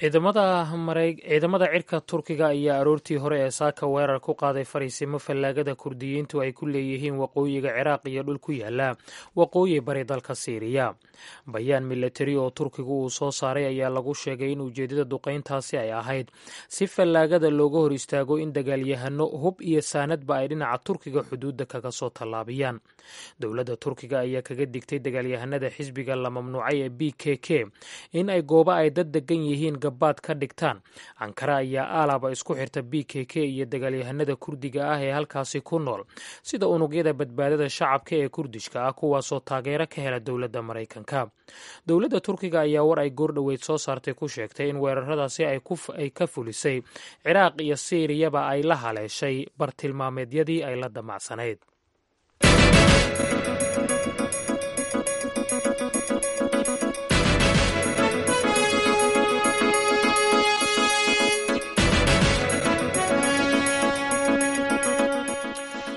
Ciidamada cirka Turkiga ayaa aroortii hore ee saaka weerar ku qaaday fariisimo fallaagada Kurdiyiintu ay ku leeyihiin waqooyiga Ciraaq iyo dhul ku yaala waqooyi bari dalka Siiriya. Bayaan milatari oo Turkigu uu soo saaray ayaa lagu sheegay in ujeedada duqayntaasi ay ahayd si fallaagada looga hor istaago in dagaalyahano hub iyo saanadba ay dhinaca Turkiga xuduudda kaga soo tallaabiyaan. Dowladda Turkiga ayaa kaga digtay dagaalyahanada xisbiga la mamnuucay ee BKK in ay goobo ay dad degan yihiin baad ka dhigtaan. Ankara ayaa aalaba isku xirta BKK iyo dagaalyahanada Kurdiga ah ee halkaasi ku nool, sida unugyada badbaadada shacabka ee Kurdishka ah, kuwaasoo taageero ka hela dowladda Maraykanka. Dowladda Turkiga ayaa war ay goordhoweyd soo saartay ku sheegtay in weeraradaasi ay ka fulisay Ciraaq iyo Siiriyaba ay la haleeshay bartilmaameedyadii ay la damacsanayd.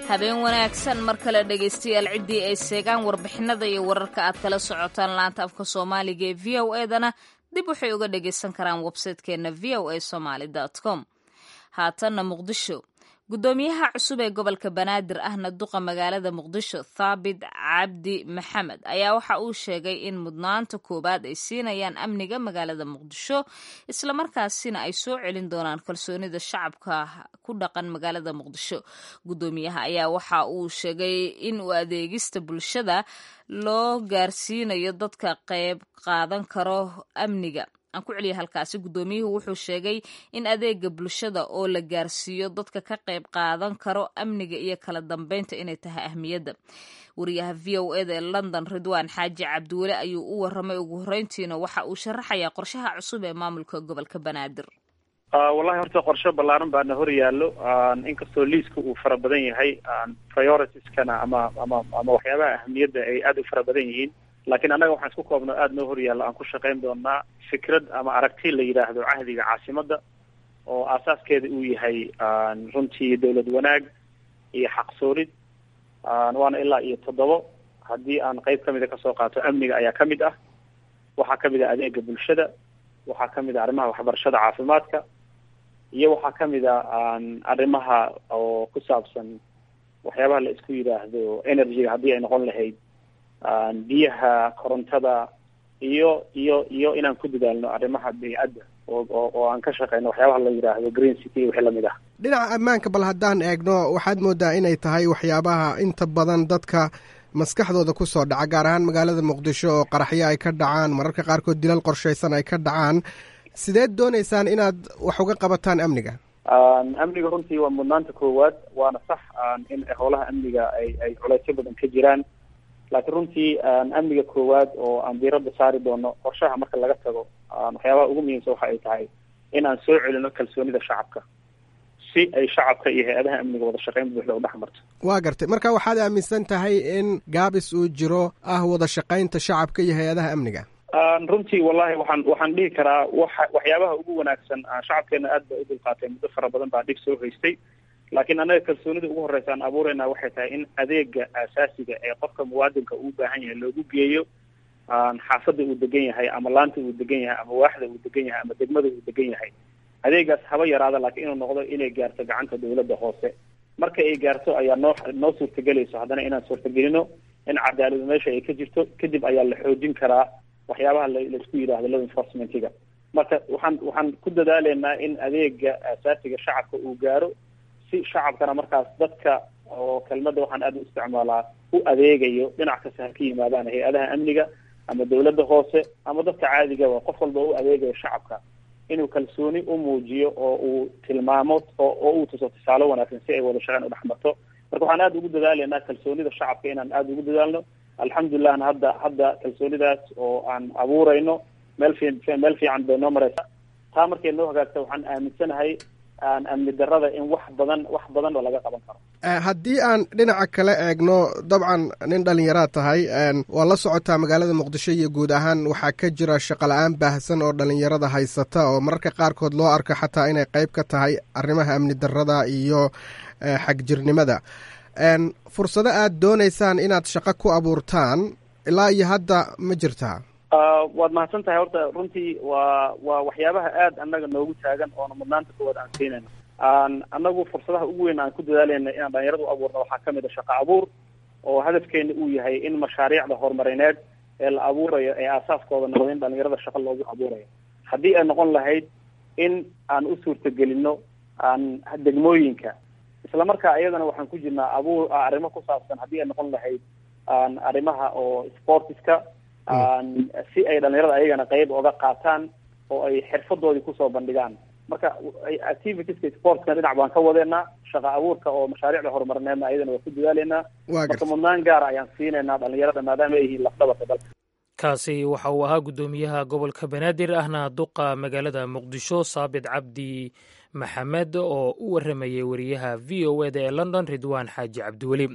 Habeen wanaagsan mar kale dhegaystayaal. Ciddii ay seegaan warbixinada iyo wararka aad kala socotaan laanta afka Soomaaliga ee VOA-dana dib waxay uga dhagaysan karaan websaytekeenna voasomali.com. Haatanna Muqdisho. Guddoomiyaha cusub ee gobolka Banaadir ahna duqa magaalada Muqdisho Thaabit Cabdi Maxamed ayaa waxa uu sheegay in mudnaanta koowaad ay siinayaan amniga magaalada Muqdisho, islamarkaasina ay soo celin doonaan kalsoonida shacabka ku dhaqan magaalada Muqdisho. Guddoomiyaha ayaa waxa uu sheegay in u adeegista bulshada loo gaarsiinayo dadka qayb qaadan karo amniga. Aan ku celiya halkaasi. Guddoomiyuhu wuxuu sheegay in adeega bulshada oo la gaarsiiyo dadka ka qayb qaadan karo amniga iyo kala dambeynta inay tahay ahmiyadda. Wariyaha VOA-da ee London Ridwaan Xaaji Cabdiweli ayuu u waramay. Ugu horreyntiina waxa uu sharaxayaa qorshaha cusub ee maamulka gobolka Banaadir. Wallahi horta qorshe ballaaran baana hor yaallo, inkastoo liiska uu fara badan yahay, prioritieskana ama waxyaabaha ahmiyadda ay aada u fara badan yihiin, laakiin annaga waxaan isku koobno aada noo hor yaalla aan ku shaqayn doonaa fikrad ama aragti la yidhaahdo cahdiga caasimadda, oo aasaaskeeda uu yahay runtii dowlad wanaag iyo xaqsoorid. Waana ilaa iyo 7. Haddii aan qayb kamida kasoo qaato, amniga ayaa kamid ah, waxaa kamid ah adeega bulshada, waxaa kamid ah arrimaha waxbarashada, caafimaadka, iyo waxaa kamid a arrimaha oo ku saabsan waxyaabaha la isku yidhaahdo energy-ga haddii ay noqon lahayd biyaha, korontada, iyo iyo iyo inaan ku dadaalno arrimaha beycadda oo aan ka shaqeyno waxyaabaha la yidhaahdo green city iyo wixii lamid ah. Dhinaca ammaanka bal haddaan eegno, waxaad moodaa inay tahay waxyaabaha inta badan dadka maskaxdooda ku soo dhaca, gaar ahaan magaalada Muqdisho oo qaraxyo ay ka dhacaan, mararka qaarkood dilal qorshaysan ay ka dhacaan. Sideed doonaysaan inaad wax uga qabataan amniga? Amniga runtii waa mudnaanta koowaad, waana sax in howlaha amniga ay culeysyo badan ka jiraan, laakiin runtii amniga koowaad oo aan diiradda saari doono qorshaha marka laga tago, waxyaabaha ugu muhiimsan waxa ay tahay in aan soo celino kalsoonida shacabka, si ay shacabka iyo hay-adaha amniga wada shaqeyn buuxda u dhex marto. Waa gartay. Marka waxaad aaminsan tahay in gaabis uu jiro ah wada shaqaynta shacabka iyo hay-adaha amniga? Runtii wallahi waxaan dhihi karaa waxyaabaha ugu wanaagsan, shacabkeena aad ba u dulqaatay, muddo fara badan baa dhib soo haystay, laakiin annaga kalsoonida ugu horeysa aan abuureyna waxay tahay in adeega aasaasiga ee qofka muwaadinka uu baahan yahay loogu geeyo xaafadda uu degan yahay, ama laanta uu degan yahay, ama waaxda uu degan yahay, ama degmada uu degan yahay. Adeegaas haba yaraada, laakiin inuu noqdo inay gaarto gacanta dawladda hoose. Marka ay gaarto ayaa noo suurtagelayso haddana inaan suurtagelino in cadaaladu meesha ay ka jirto. Kadib ayaa la xoojin karaa waxyaabaha laisku yidhaahdo law enforcement-iga. Marka waxaan ku dadaaleynaa in adeega aasaasiga shacabka uu gaaro, si shacabkana markaas dadka oo kelmadda waxaan aada u isticmaalaa u adeegayo dhinac kasta ha ka yimaadaan, hay-adaha amniga ama dawladda hoose ama dadka caadigaba, qof walba u adeegayo shacabka inuu kalsooni u muujiyo oo uu tilmaamo oo uu tuso tusaale wanaagsan si ay wada shaqeyn u dhex marto. Marka waxaan aada ugu dadaaleynaa kalsoonida shacabka inaan aada ugu dadaalno. Alxamdulillahna hadda kalsoonidaas oo aan abuurayno meel fiican bay noo mareysa. Taa markay noo hagaagta, waxaan aaminsanahay aan amni darrada in wax badan oo laga qaban karo. Haddii aan dhinaca kale eegno, dabcan nin dhallinyaraad tahay, waa la socotaa magaalada Muqdisho iyo guud ahaan waxaa ka jira shaqo la-aan baahsan oo dhallinyarada haysata, oo mararka qaarkood loo arko xataa inay qayb ka tahay arrimaha amni darrada iyo xagjirnimada. Fursado aad doonaysaan inaad shaqo ku abuurtaan ilaa iyo hadda ma jirtaa? Waad mahadsan tahay. Horta runtii waa waxyaabaha aada annaga noogu taagan oona mudnaanta koowaad aan siinayno. Annagu fursadaha ugu weyn aan ku dadaalayna inaan dhalinyarada u abuurno waxaa kamid a shaqo abuur, oo hadafkeena uu yahay in mashaariicda horumarineed ee la abuurayo ee aasaaskooda noqdo in dhalinyarada shaqo loogu abuurayo. Haddii ay noqon lahayd in aan u suurtagelino aan degmooyinka, isla markaa iyadana waxaan ku jirnaa abuur arrimo ku saabsan haddii ay noqon lahayd arrimaha oo sportiska, si ay dhalinyarada ayagana qayb oga qaataan oo ay xirfadoodii kusoo bandhigaan. Marka activitieska sportskana dhinac baan ka wadeynaa, shaqa abuurka oo mashaariicda horumarineedna ayadana waa ku dadaaleynaa. Marka mudnaan gaara ayaan siinaynaa dhalinyarada maadaama ay yihiin lafdhabarka dalka. Kaasi waxa uu ahaa guddoomiyaha gobolka Banaadir ahna duqa magaalada Muqdisho, Saabit Cabdi Maxamed, oo u waramayay wariyaha v o eda ee London, Ridwaan Xaaji Cabdiweli.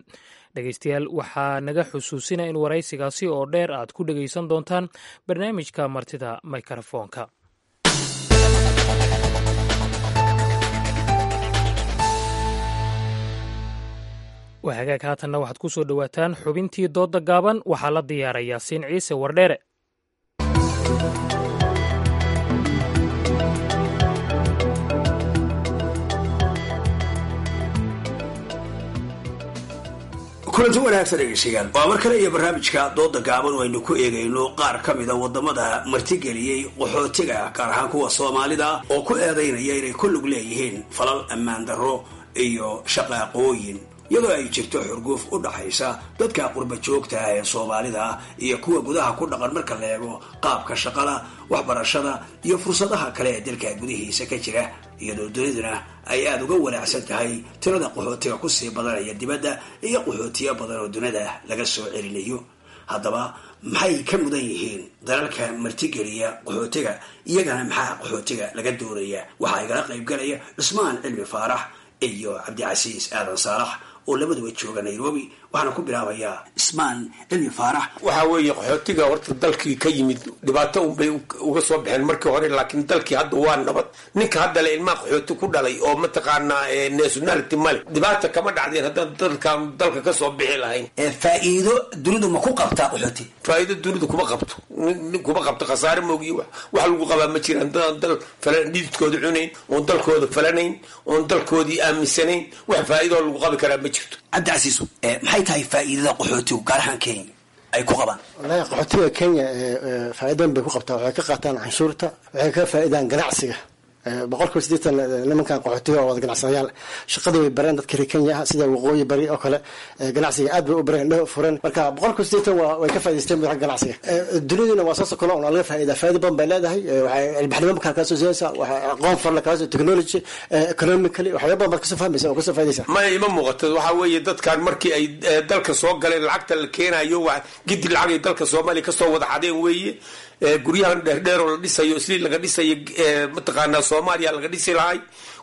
Dhegeystayaal, waxaa naga xusuusina in waraysigaasi oo dheer aad ku dhegeysan doontaan barnaamijka martida mikrofoonka. Waa hagaag. Haatanna waxaad ku soo dhowaataan xubintii doodda gaaban. Waxaa la diyaarayaa Siin Ciise Wardheere. Kulanti wanaagsan dhegeystayaal, waa mar kale iyo barnaamijka dooda gaaban oo aynu ku eegayno qaar ka mida wadamada martigeliyey qaxootiga, gaar ahaan kuwa Soomaalida, oo ku eedaynaya inay ku lug leeyihiin falal ammaan darro iyo shaqaaqooyin, iyadoo ay jirto xurguuf u dhaxaysa dadka qurba joogta ah ee Soomaalida iyo kuwa gudaha ku dhaqan marka la eego qaabka shaqada, waxbarashada iyo fursadaha kale ee dalka gudihiisa ka jira, iyadoo duniduna ay aada uga wanaacsan tahay tirada qaxootiga kusii badanaya dibadda iyo qaxootiyo badan oo dunida laga soo celinayo. Haddaba maxay ka mudan yihiin dalalka martigeliya qaxootiga? Iyagana maxaa qaxootiga laga doonaya? Waxaa igala qaybgalaya Cusmaan Cilmi Faarax iyo Cabdicasiis Aadan Saalax oo labaduba jooga Nairobi. Waxaana ku bilaabayaa Cismaan Cilmi Faarax. Waxaa weeye, qaxootiga horta dalkii ka yimid dhibaato unbay uga soo baxeen markii hore, laakiin dalkii hadda waa nabad. Ninka hadda le ilmaha qaxooti ku dhalay oo mataqaanaa nationality male, dhibaata kama dhacdeen haddaan dalkan dalka kasoo bixi lahayn. Faa'iido dunidu ma ku qabtaa qaxooti? Faa'iido dunidu kuma qabto, kuma qabto. Khasaare moogiyo wax lagu qabaa ma jiraan. Dadaan dal falan dhididkooda cunayn, oon dalkooda falanayn, oon dalkoodii aaminsanayn, wax faa'iidoo lagu qabi karaa ma jirto. jirto. Cabdicasiiso, maxay tahay faa'iidada qaxootigu gaar ahaan Kenya ay ku qabaan? Wallahi qaxootiga Kenya faa'iidan bay ku qabtaa. Waxay ka qaataan canshuurta, waxay ka faa'iidaan ganacsiga. 80% nimankan qaxootiga oo wada ganacsadayaal, shaqada way bareen dadka reer Kenya ah, sida waqooyi bari oo kale ganacsiga aad bay u bareen, indhaha fureen. Marka 80% waa way ka faa'iidaysteen xagga ganacsiga. Duniduna waa saas oo kale, oo laga faa'iidaa, faa'iido badan bay leedahay. Waxay ilbaxnimo markaa kaa soo siinaysaa, waxay aqoon farla kaa soo, technology, economically waxyaabo badan baad kasoo fahmaysa oo kasoo faa'iidaysa. Ma ima muuqato. Waxaa weeye dadkan markii ay dalka soo galeen, lacagta la keenayo waa gidi lacag ay dalka Soomaaliya kasoo wada xadeen weeye. Guryahan dheerdheer oo la dhisayo, isliin laga dhisayo, mataqaanaa Soomaaliya laga dhisi lahay.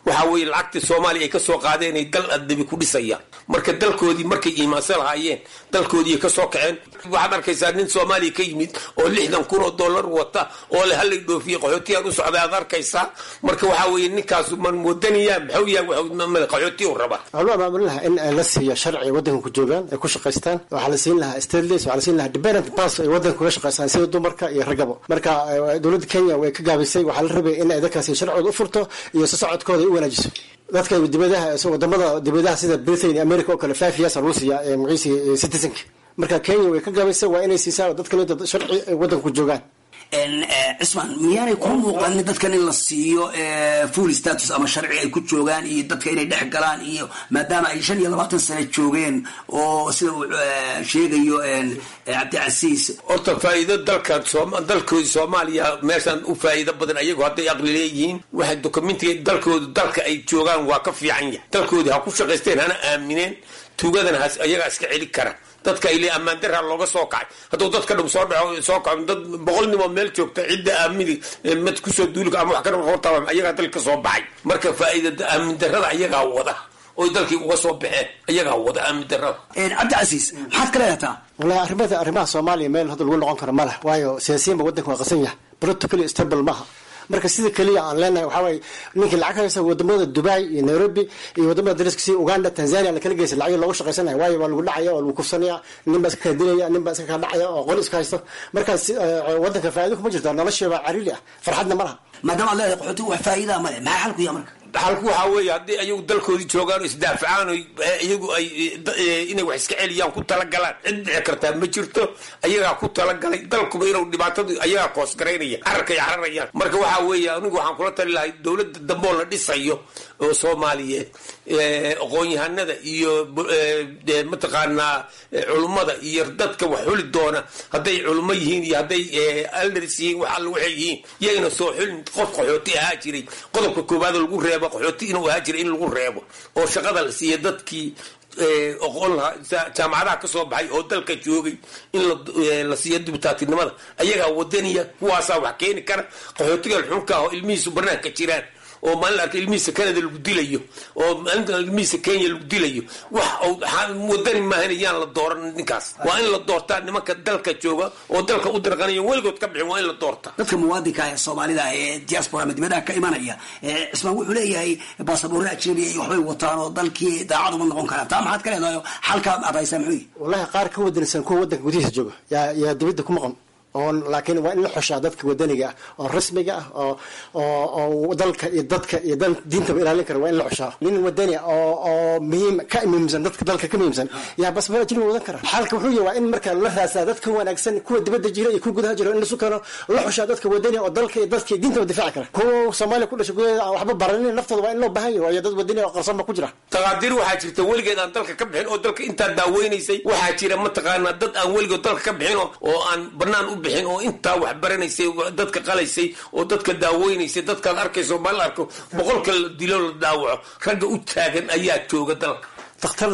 Waxaa weeye lacagtii Soomaaliya ay kasoo qaadeen ay dal adabi ku dhisayaan. Marka dalkoodii markay iimaansan lahaayeen, dalkoodii kasoo kaceen. Waxaad arkaysaa nin Soomaaliya ka yimid oo 60,000 oo dollar wata oo le halay dhoofiyey, qaxootiyaan u socday aad arkaysaa. Marka waxaa weeye ninkaasu man moodaniya maxuu yahay, qaxootiya u rabaa. Waxaa loo abaabulin lahaa in la siiyo sharci waddanka ku joogaan ay ku shaqaystaan. Waxaa la siin lahaa stateless, waxaa la siin lahaa dependent pass ay waddanka kuga shaqaystaan sida dumarka iyo raggaba. Marka dowladda Kenya way ka gaabisay. Waxaa la rabay in ay dadkaasi sharcigooda u furto iyo socodkooda ay u wanaajiso. Dadka dibadaha, wadamada dibadaha sida Britain iyo America oo kale, 5 years lagu siiyaa magaciisi citizenka. Marka Kenya way ka gaabisay, waa inay siisaa dadka sharci ay waddanka ku joogaan. Cismaan, miyaanay ku muuqanin dadkan in la siiyo full status ama sharci ay ku joogaan iyo dadka inay dhex galaan, iyo maadaama ay 25 sano joogeen oo sida uu sheegayo Cabdicasiis? Horta faa'iido dalka dalkoodi Soomaaliya meeshaan u faa'iido badan ayagu hadday aqli leeyihiin. Waxay dokumentiga dalkoodu dalka ay joogaan waa ka fiican yahay. Dalkoodii ha ku shaqaysteen, hana aamineen, tuugadana ayagaa iska celi kara. Dadka ay le ammaan daraa looga soo kacay, hadduu dadka dhum soo dhaco soo kaco, dad 100 nimoo meel joogta cidda aamini mad kusoo duuli ama wax ka hortaba, ayagaa dalka ka soo baxay. Marka faa'iida aamin darrada ayagaa wada oy dalkii uga soo baxeen, ayagaa wada aamin darrada. Cabdicasiis, maxaad ka leedataa? Wallahi arrimaha Soomaaliya meel hadda lagu noqon karo ma leh, waayo siyaasiyiin ba waddanka waa qasan yahay, politically stable maaha. Marka sida keliya aan leenahay waxaa waaye ninkii lacag haysta wadamada Dubai iyo Nairobi iyo wadamada dariska sida Uganda, Tanzania la kala geysa lacag loogu shaqaysanaya, waayo waa lagu dhacaya oo lagu kufsanaya, nin baa iska kala dilaya, nin baa iska kala dhacaya oo qoli iska haysto. Markaas wadanka faa'iido kuma jirto, nolosha baa cariiri ah, farxadna ma laha. Maadaama aad leedahay qaxootigu wax faa'iidaa ma leh, maxaa xalku yaha marka? Xalku waxaa weeye haddii ayagu dalkoodii joogaan oo isdaafacaan oo iyagu ay inay wax iska celiyaan ku talagalaan, cid dhici kartaa ma jirto. Ayagaa ku talagalay dalkuba inuu dhibaatadu ayagaa koosgaraynaya, cararkay cararayaan. Marka waxaa weeye anigu waxaan kula tali lahay dowladda dambe oo la dhisayo oo Soomaaliyeed, aqoon-yahanada iyo mataqaanaa culummada iyo dadka wax xuli doona, hadday culummo yihiin iyo hadday elders yihiin, wax alla waxay yihiin, yayna soo xulin qof qaxooti ahaa jiray. Qodobka koowaad oo lagu reebo qaxooti inuu ahaa jiray in lagu reebo oo shaqada la siiya dadkii oqon lahaa, jaamacadaha ka soo baxay oo dalka joogay, in la siiyo dibutaatinimada. Ayagaa wadaniya, kuwaasaa wax keeni kara. Qaxootiga xunka ah oo ilmihiisu banaanka jiraan oo maalin arka ilmihiisa Canada lagu dilayo oo maalinta ilmihiisa Kenya lagu dilayo, wax wadani maahan, yaan la dooran ninkaas. Waa in la doortaa nimanka dalka jooga oo dalka u dirqanaya, weligood ka bixin, waa in la doortaa. Dadka muwaadinka ee Soomaalida ee diaspora ama dibadaha ka imanaya, Cismaan wuxuu leeyahay baasaboorre ajnabi iyo waxbay wataan oo dalkii daacad uma noqon karaan. Taa maxaad ka leedahay? Xalka aad haysaa muxuu yihi? Wallahi qaar ka wadansan kuwa wadanka gudihiisa jooga yaa dibadda ku maqan oon, laakiin waa in la xushaa dadka wadaniga ah oo rasmiga ah oo dalka iyo dadka iyo diintaba ilaalin kara. Waa in la xushaa nin wadani oo muhiim ka muhiimsan dadka dalka ka muhiimsan yaa basbaar ajnabi wadan kara. Xalka wuxuu yahay waa in marka la raasaa dadka wanaagsan, kuwa dibadda jira iyo kuwa gudaha jira, in lasu keeno, la xushaa dadka wadani oo dalka iyo dadka iyo diintaba difaaci kara. Kuwa Soomaaliya ku dhashay gudaheeda aan waxba baranin naftooda waa in loo baahan yahay, waayo dad wadani oo qarsoon ba ku jira. Taqaadiir waxaa jirta weligeed aan dalka ka bixin oo dalka intaa daaweynaysay. Waxaa jira mataqaanaa dad aan weligood dalka ka bixin oo aan banaan u bixin oo intaa wax baranaysay, dadka qalaysay oo dadka daaweynaysay. Dadkaad arkayso maalin arko 100-ka la dilo la dhaawaco, ragga u taagan ayaa jooga dalka. Dakhtar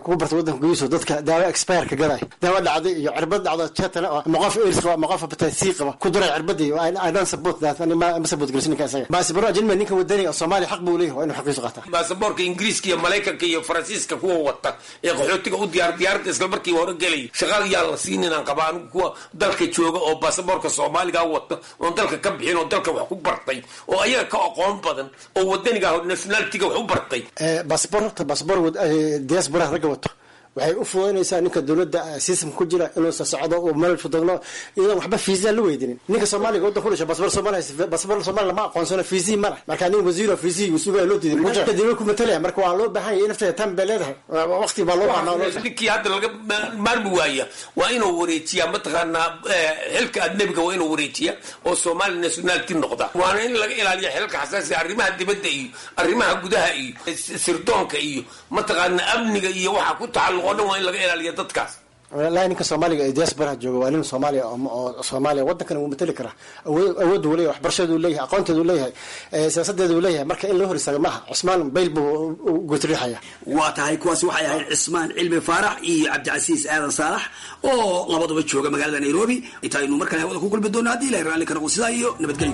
kugu barta waddanka gudihiisa dadka daawo expire ka gaday, daawo dhacday iyo cirbad dhacda jetana, ama qof AIDS qaba ama qof hepatitis C qaba ku duray cirbadii, I don't support that. Ani ma support gelisin ninka isaga. Baasaboro ajnabi ninka wadaniga oo Soomaaliya xaq buu leeyahay, waa inuu xaqiisu qaataa. Baasaboorka Ingiriiska iyo Maraykanka iyo Faransiiska kuwa wata ee qaxootiga u diyaar diyaaradda isla markiiba hore gelaya, shaqada yaan la siinin aan qabaa anigu. Kuwa dalka jooga oo baasaboorka Soomaaliga wata oon dalka ka bixin oo dalka wax ku bartay oo ayaga ka aqoon badan oo wadaniga nationality-ga wax u bartay. Baasaboor horta baasaboor diaspora ragga wato Waxay u fududaynaysaa ninka dowladda system ku jira inuu socdo uu meel fududno iyadoon waxba fiisa la weydiinin. Ninka Soomaaliga waddan ku dhashay, basbar Soomaali, basbar Soomaali lama aqoonsano, fiisii ma leh. Marka nin wasiiro fiisii uu sugaya loo diiday, muja dowladda ku matalaya. Marka waa loo baahan yahay, nafteeda tan bay leedahay, waqti baa loo baahnaa. Ninkii hadda laga maarmi waaya waa inuu wareejiyaa, mataqaanaa, xilka ajnabiga waa inuu wareejiyaa oo Somali nationality noqda. Waana in laga ilaaliya xilka xasaasiga, arrimaha dibadda iyo arrimaha gudaha iyo sirdoonka iyo, mataqaanaa, amniga iyo waxa ku tacalluq oo dhan waa in laga ilaaliya dadkaas. Wallaahi ninka Soomaaliga ee diasporaha jooga waa nin Soomaaliya oo Soomaaliya waddankana wuu matali karaa. Awood uu leeyahay, waxbarashadeedu leeyahay, aqoonteedu leeyahay, siyaasadeedu leeyahay. Marka in loo hor istaago maaha. Cusmaan Bayl buu gutriixaya. Waa tahay, kuwaasi waxay ahayd Cismaan Cilmi Faarax iyo Cabdicasiis Aadan Saalax oo labaduba jooga magaalada Nairobi. Intaaynu mar kale hawada ku kulmi doono haddii Ilahay raalli ka noqdo, sidaa iyo nabadgelyo.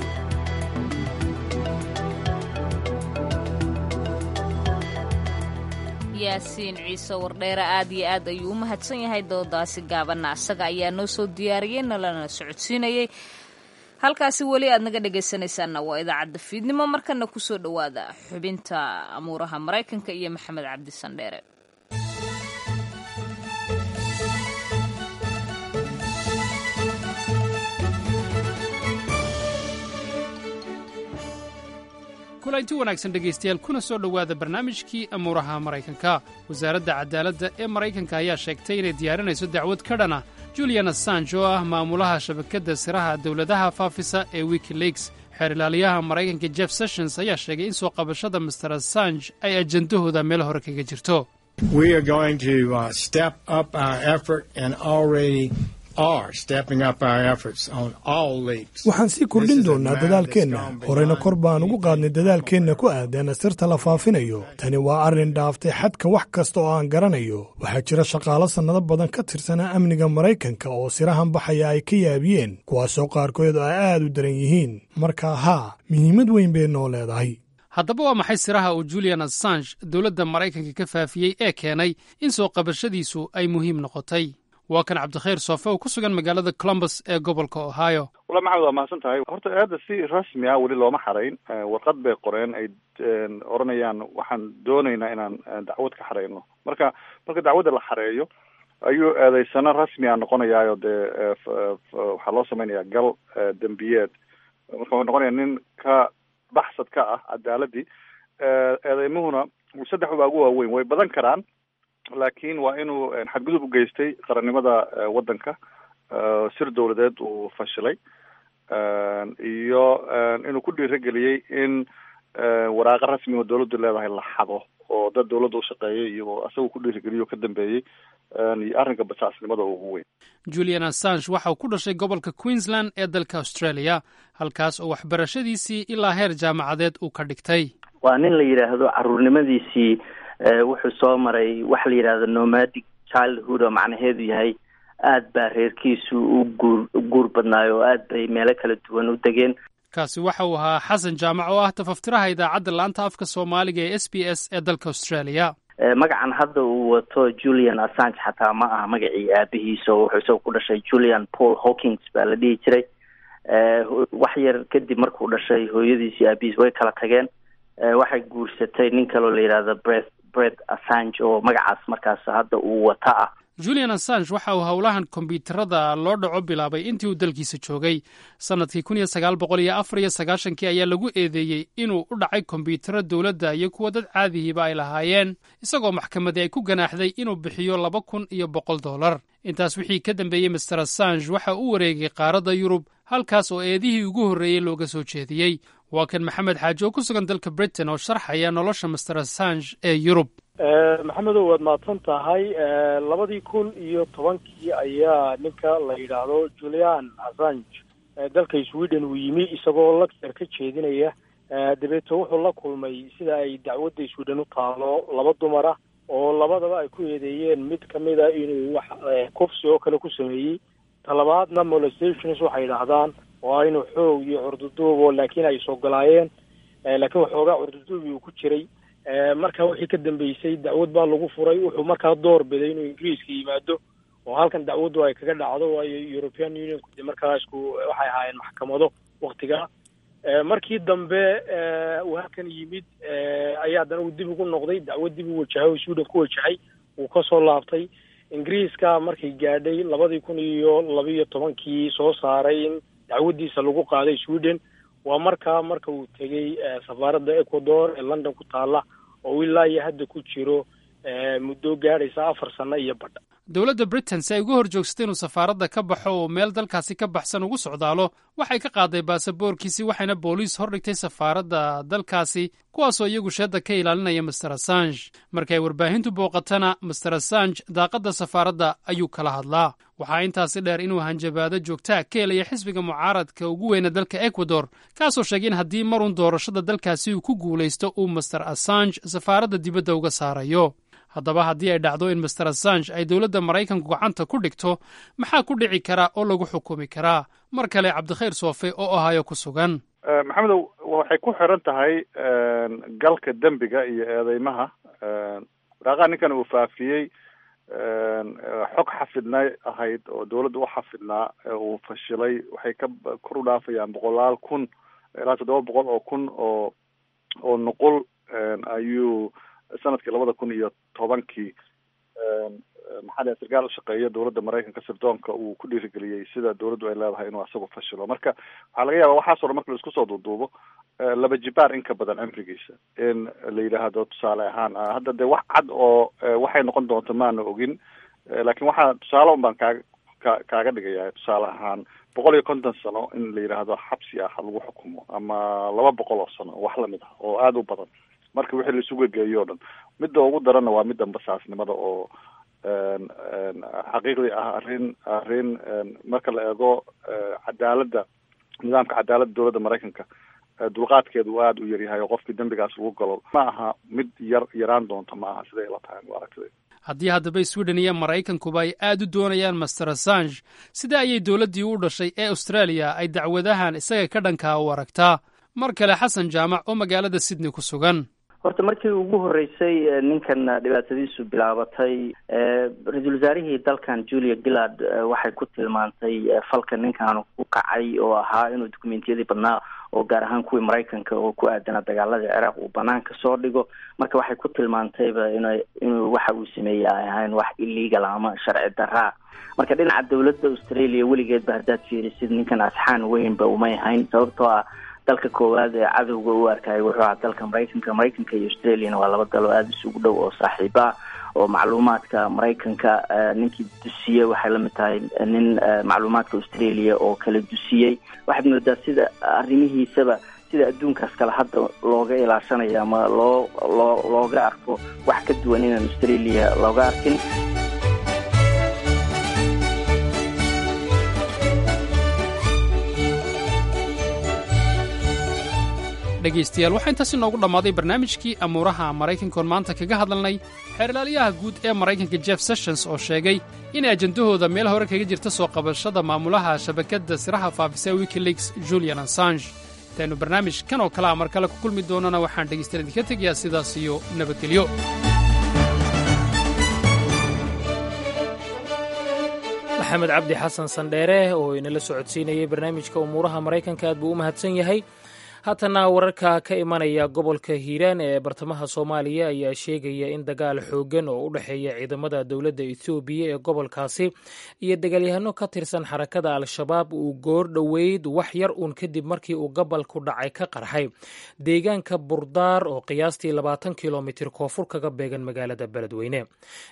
Yaasiin Ciise Wardheere aad iyo aad ayuu u mahadsan yahay. Doodaasi gaabanna asaga ayaa noo soo diyaariyey, nalana socodsiinayey. Halkaasi weli aad naga dhegaysanaysaanna waa idaacadda fiidnimo. Markana kusoo dhowaada xubinta amuuraha Maraykanka iyo Maxamed Cabdi Sandheere. Kulanti wanaagsan dhegaystayaal, kuna soo dhowaada barnaamijkii amuuraha Maraykanka. Wasaaradda cadaaladda ee Maraykanka ayaa sheegtay inay diyaarinayso dacwad ka dhana Julian Assange oo ah maamulaha shabakadda siraha dowladaha faafisa ee WikiLeaks. Xeer ilaaliyaha Maraykanka Jeff Sessions ayaa sheegay in soo qabashada Mister Assange ay ajendahooda meel hore kaga jirto. We are going to step up our effort and already are stepping up our efforts on all leaks. Waxaan sii kordhin doonnaa dadaalkeenna, horeyna kor baan ugu qaadnay dadaalkeenna ku aadan sirta la faafinayo. Tani waa arrin dhaaftay xadka wax kasta oo aan garanayo. Waxaa jira shaqaalo sannado badan ka tirsanaa amniga Maraykanka oo sirahan baxaya ay ka yaabiyeen, kuwaasoo qaarkood ay aad u daran yihiin. Marka haa, muhiimad weyn bay noo leedahay. Haddaba waa maxay siraha uu Julian Assange dowladda Maraykanka ka faafiyey ee keenay in soo qabashadiisu ay muhiim noqotay? Waa kan Cabdikhayr Soofe oo ku sugan magaalada Columbus ee gobolka Ohio. Walla Maxamed, waa mahadsan tahay. Horta aada si rasmi ah weli looma xarayn. Warqad bay qoreen ay odhanayaan waxaan doonaynaa inaan dacwad ka xareyno. Marka dacwadda la xareeyo ayuu eedeysano rasmi ah noqonayaayo, dee waxaa loo samaynayaa gal dembiyeed. Marka wuxuu noqonayaa nin ka baxsad ka ah cadaaladii. Eedeymuhuna saddex baa ugu waaweyn, way badan karaan, laakiin waa inuu xadgudub u geystay qarannimada waddanka, sir dowladeed uu fashilay, iyo inuu ku dhiirigeliyey in waraaqo rasmi oo dowladdu leedahay la xado oo dad dowladda u shaqeeyay iyo asagoo ku dhiirigeliyo ka dambeeyey, iyo arrinka basaasnimada ugu weyn. Julian Assange waxa uu ku dhashay gobolka Queensland ee dalka Australia, halkaas oo waxbarashadiisii ilaa heer jaamacadeed uu ka dhigtay. Waa nin la yidhaahdo caruurnimadiisii wuxuu soo maray waxa la yidhahdo nomadic childhood, oo macnaheedu yahay aad baa reerkiisu u guur guur badnaayo oo aad bay meelo kala duwan u degeen. Kaasi waxa uu ahaa Xasan Jaamac oo ah tafaftiraha idaacadda laanta afka Soomaaliga ee SBS ee dalka Australia. Magacan hadda uu wato Julian Assange xataa ma aha magacii aabihiisa, oo wuxuu isaga ku dhashay Julian Paul Hawkins baa la dhihi jiray. Wax yar kadib markuu dhashay, hooyadiis iyo aabihiis way kala tageen. Waxay guursatay nin kaloo la yidhahdo Brett Assange oo magacaas markaas hadda uu wata ah. Julian Assange waxa uu howlahan kombyuutarada loo dhaco bilaabay intii uu dalkiisa joogay. Sannadkii 1994kii ayaa lagu eedeeyey inuu u dhacay kombyuutaro dowladda iyo kuwa dad caadihiiba ay lahaayeen, isagoo maxkamadii ay ku ganaaxday inuu bixiyo $2,100. Intaas wixii ka dambeeyey, Mister Assange waxa uu wareegay qaaradda Yurub, halkaas oo eedihii ugu horreeyey looga soo jeediyey. Waa kan Maxamed Xaaji oo ku sugan dalka Britain oo sharxaya nolosha Mister Assange ee Yurub. Maxamedow, waad mahadsan tahay. 2010kii ayaa ninka la yidhaahdo Julian Assange dalka Sweden uu yimi isagoo lecture ka jeedinaya. Dabeeto wuxuu la kulmay, sida ay dacwadda Sweden u taalo, laba dumar ah oo labadaba ay ku eedeeyeen, mid kamida inuu wax kufsi oo kale ku sameeyey, talabaadna molestations waxay yidhaahdaan oo ah inuu xoog iyo curduduubo, laakiin ay sogolaayeen, laakiin waxoogaa curduduubi uu ku jiray. Marka wixii ka dambeysay dacwad baa lagu furay. Wuxuu markaa door biday inuu Ingiriiska yimaado oo halkan dacwaddu ay kaga dhacdo, waayo European Unionku de markaa isku waxay ahaayeen maxkamado waktigaa. Markii dambe uu halkan yimid ayaa haddana uu dib ugu noqday, dacwad dib u wajahay oo Sweden ku wajahay. Wuu kasoo laabtay Ingiriiska markay gaadhay 2012-kii soo saaray in dacwadiisa lagu qaaday Sweden. Waa markaa marka uu tegey safaaradda Ecuador ee London ku taalla, oo ilaa iyo hadda ku jiro muddo gaadhaysa 4 sano iyo badha. Dowladda Britain, si ay uga hor joogsatay inuu safaaradda ka baxo oo meel dalkaasi ka baxsan ugu socdaalo, waxay ka qaaday baasaboorkiisii, waxayna booliis hordhigtay safaaradda dalkaasi, kuwaasoo iyagu sheedda ka ilaalinaya Mister Assange. Markay warbaahintu booqatana, Mister Assange daaqadda safaaradda ayuu kala hadlaa. Waxaa intaasi dheer inuu hanjabaado joogtaa ka helaya xisbiga mucaaradka ugu weyna dalka Ecuador, kaasoo sheegay in haddii marun doorashada dalkaasi uu ku guulaysto uu Mister Assange safaaradda dibadda uga saarayo. Haddaba, haddii ay dhacdo in Mister Assange ay dowladda Maraykanku gacanta ku dhigto, maxaa ku dhici karaa oo lagu xukumi karaa? Mar kale Cabdikhayr Soofe oo Ohio ku sugan. Maxamedow, waxay ku xiran tahay galka dembiga iyo eedeymaha. Waraaqaha ninkan uu faafiyey xog xafidnay ahayd oo dowladda u xafidnaa uu fashilay, waxay ka kor u dhaafayaan boqolaal kun ilaa 700,000 oo nuqul ayuu sanadkii 2010-kii, maxaa la, sarkaal ushaqeeya dowladda Maraykanka sirdoonka uu ku dhiirigeliyey, sida dowladdu ay leedahay, inuu asagu fashilo. Marka waxaa laga yaaba waxaas o dhan marka la isku soo duuduubo laba jibaar in ka badan cimrigiisa in la yidhaahdo. Tusaale ahaan, hadda dee wax cad oo waxay noqon doonto maana ogin, laakiin waxaa tusaale un baan kaaga ka kaaga dhigaya. Tusaale ahaan, 150 sano in la yidhaahdo xabsi ah lagu xukumo, ama 200 oo sano, wax lamid ah oo aada u badan marka wixii la isugu geeyo o dhan. Midda ugu daranna waa midda basaasnimada, oo xaqiiqdii ah arrin marka la eego cadaaladda, nidaamka cadaaladda dowladda Maraykanka, dulqaadkeedu uu aada u yaryahay oo qofkii dembigaas lagu galo ma aha mid yar yaraan doonto, ma aha siday ila tahay aragtida. Haddii haddaba Sweden iyo Maraykankuba ay aad u doonayaan Mister Assange, sida ayay dowladdii u dhashay ee Australia ay dacwadahan isaga ka dhankaa u aragtaa? Mar kale Xasan Jaamac oo magaalada Sydney ku sugan. Horta markii ugu horreysay ninkan dhibaatadiisu bilaabatay, ra-iisul wasaarihii dalkan Julia Gillard waxay ku tilmaantay falka ninkan ku kacay oo ahaa inuu dukumentiyadii badnaa, oo gaar ahaan kuwii Maraykanka oo ku aadanaa dagaaladii Ciraaq, uu banaanka soo dhigo. Marka waxay ku tilmaantayba inuu waxa uu sameeyey ay ahayn wax illegal ama sharci daraa. Marka dhinaca dowladda Australia, weligeedba haddaad fiirisid, ninkan asxaan weynba umay hayn, sababtoo ah dalka koowaad ee cadowga u arkayay wuxuu ahaa dalka Maraykanka. Maraykanka iyo Australiana waa laba dal oo aada isugu dhow oo saaxiiba ah, oo macluumaadka Maraykanka ninkii dusiyey waxay lamid tahay nin macluumaadka Australia oo kala dusiyey. Waxaad moodaa sida arrimihiisaba sida adduunkaas kale hadda looga ilaashanayo ama loo looga arko wax ka duwan inaan Australia looga arkin. Dhegaystayaal, waxaa intaas inoogu dhammaaday barnaamijkii amuuraha Maraykankoon maanta kaga hadalnay xeerlaaliyaha guud ee Maraykanka Jeff Sessions oo sheegay in ajendahooda meel hore kaga jirta soo qabashada maamulaha shabakadda siraha faafisa WikiLeaks, Julian Assange. Intaynu barnaamij kan oo kalea mar kale ku kulmi doonana, waxaan dhegaystayaal idinka tegayaa sidaas iyo nabadgelyo. Maxamed Cabdi Xasan Sandheere oo inala socodsiinayay barnaamijka umuuraha Maraykanka aad buu u mahadsan yahay. Haatana wararka ka imanaya gobolka Hiiraan ee bartamaha Soomaaliya ayaa sheegaya in dagaal xooggan oo u dhexeeya ciidamada dowladda Etoobiya ee gobolkaasi iyo dagaalyahano ka tirsan xarakada Al-Shabaab uu goor dhoweyd, wax yar uun kadib markii uu gobolku dhacay, ka qarxay deegaanka Burdaar oo qiyaastii 20 kilomitir koonfur kaga beegan magaalada Beledweyne.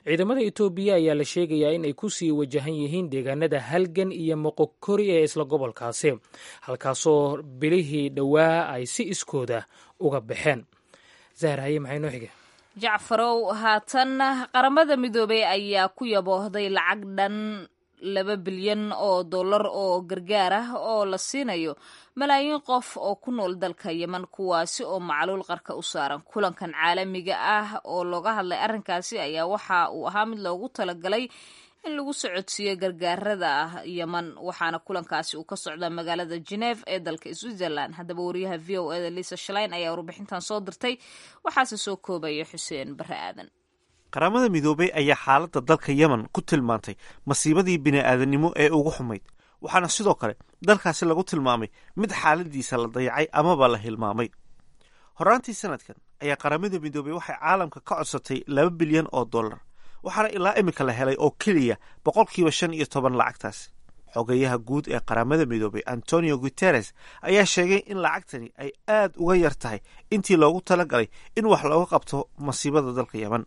Ciidamada Etoobiya ayaa la sheegayaa in ay kusii wajahan yihiin deegaanada Halgan iyo Moqokori ee isla gobolkaasi, halkaasoo bilihii dhowaa ay si iskooda uga baxeen. Zahar, haye, maxay noo xige? Jacfarow, haatan Qaramada Midoobey ayaa ku yaboohday lacag dhan 2 bilyan oo dollar oo gargaar ah oo la siinayo malaayiin qof oo ku nool dalka Yeman, kuwaasi oo macluul qarka u saaran. Kulankan caalamiga ah oo looga hadlay arrinkaasi ayaa waxa uu ahaa mid loogu talagalay in lagu socodsiiyo gargaarada Yeman, waxaana kulankaasi uu ka socdaa magaalada Geneve ee dalka Switzerland. Haddaba, wariyaha VOA da Lisa Schlein ayaa warbixintan soo dirtay, waxaase soo koobaya Xuseen Bare Aadan. Qaramada Midoobey ayaa xaaladda dalka Yemen ku tilmaantay masiibadii bini'aadanimo ee ugu xumayd, waxaana sidoo kale dalkaasi lagu tilmaamay mid xaaladiisa la dayacay amaba la hilmaamay. Horaantii sanadkan ayaa Qaramada Midoobey waxay caalamka ka codsatay 2 bilyan oo dollar. Waxaana ilaa iminka la helay oo keliya 15% lacagtaasi. Xogayaha guud ee Qaramada Midoobay Antonio Guterres ayaa sheegay in lacagtani ay aad uga yar tahay intii loogu talagalay in wax looga qabto masiibada dalka Yemen,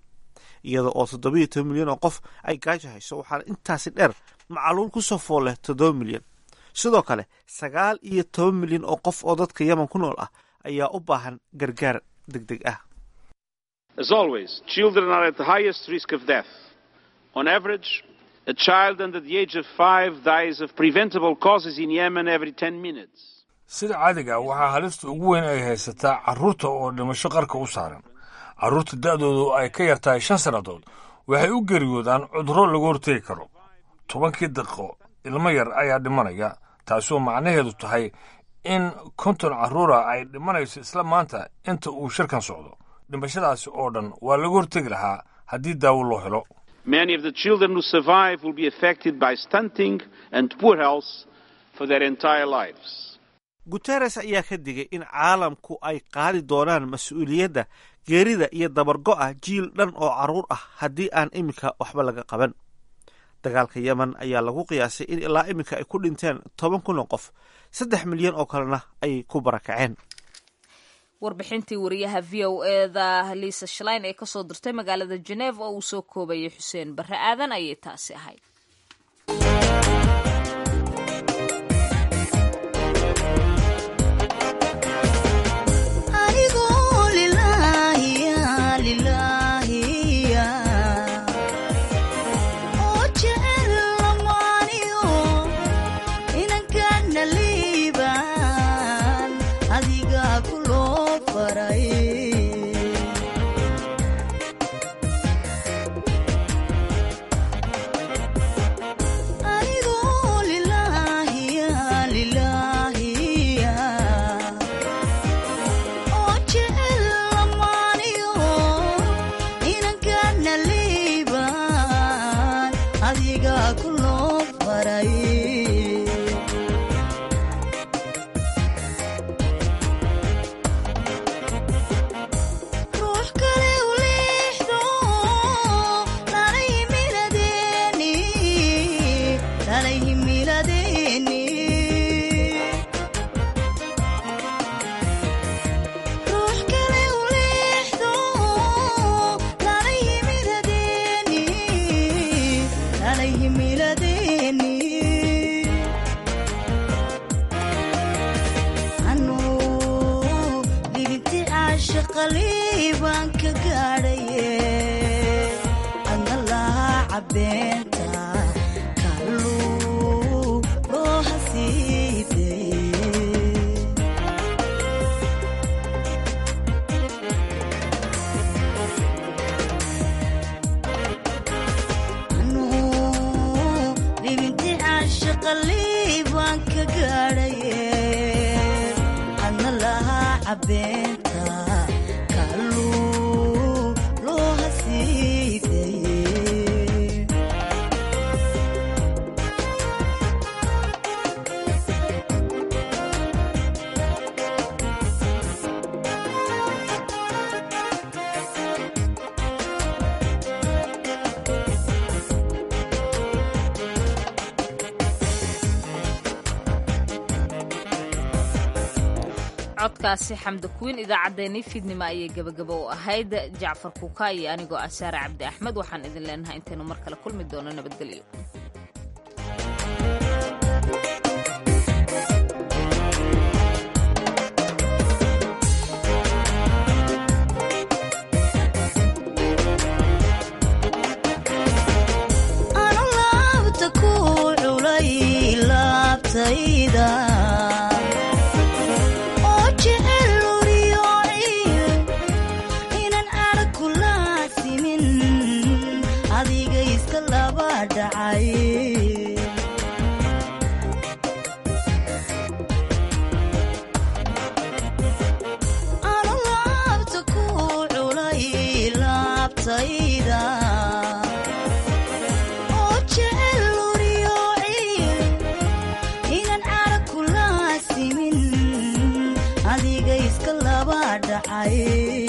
iyada oo 17 milyan oo qof ay gaajo hayso. Waxaana intaasi dheer macaluul ku soo fool leh 7 milyan. Sidoo kale 19 milyan oo qof oo dadka Yemen ku nool ah ayaa u baahan gargaar deg deg ah. As always, children are at the highest risk of death. On average, a child under the age of 5 dies of preventable causes in Yemen every 10 minutes. Sida caadiga, waxaa halista ugu weyn ay haysataa carruurta oo dhimasho qarka u saaran. Carruurta da'doodu ay ka yartahay 5 sannadood waxay u geeriyoodaan cudurro lagu hortegi karo. 10-kii daqiiqo ilmo yar ayaa dhimanaya, taasoo macnaheedu tahay in 50 carruura ay dhimanayso isla maanta inta uu shirkan socdo. Dhimashadaasi oo dhan waa laga hortegi lahaa haddii daawo loo helo. Many of the children who survive will be affected by stunting and poor health for their entire lives. Guteres ayaa ka digay in caalamku ay qaadi doonaan mas-uuliyadda geerida iyo dabargo'a jiil dhan oo carruur ah haddii aan iminka waxba laga qaban. Dagaalka Yemen ayaa lagu qiyaasay in ilaa iminka ay ku dhinteen 10,000 oo qof, 3 milyan oo kalena ay ku barakaceen. Warbixintii wariyaha VOA-da Lisa Schlein ee kasoo dirtay magaalada Geneva oo uu soo koobayay Xuseen Barre Aadan ayay taasi ahayd. Codkaasi Xamda Kuwiin idaacaddeenii fiidnimo ayay gabagaba u ahayd. Jacfar Kuuka iyo anigoo ah Saare Cabdi Axmed waxaan idin leenahay intaynu mar kale kulmi doono nabadgelyo. Adiga iska laba dhacay.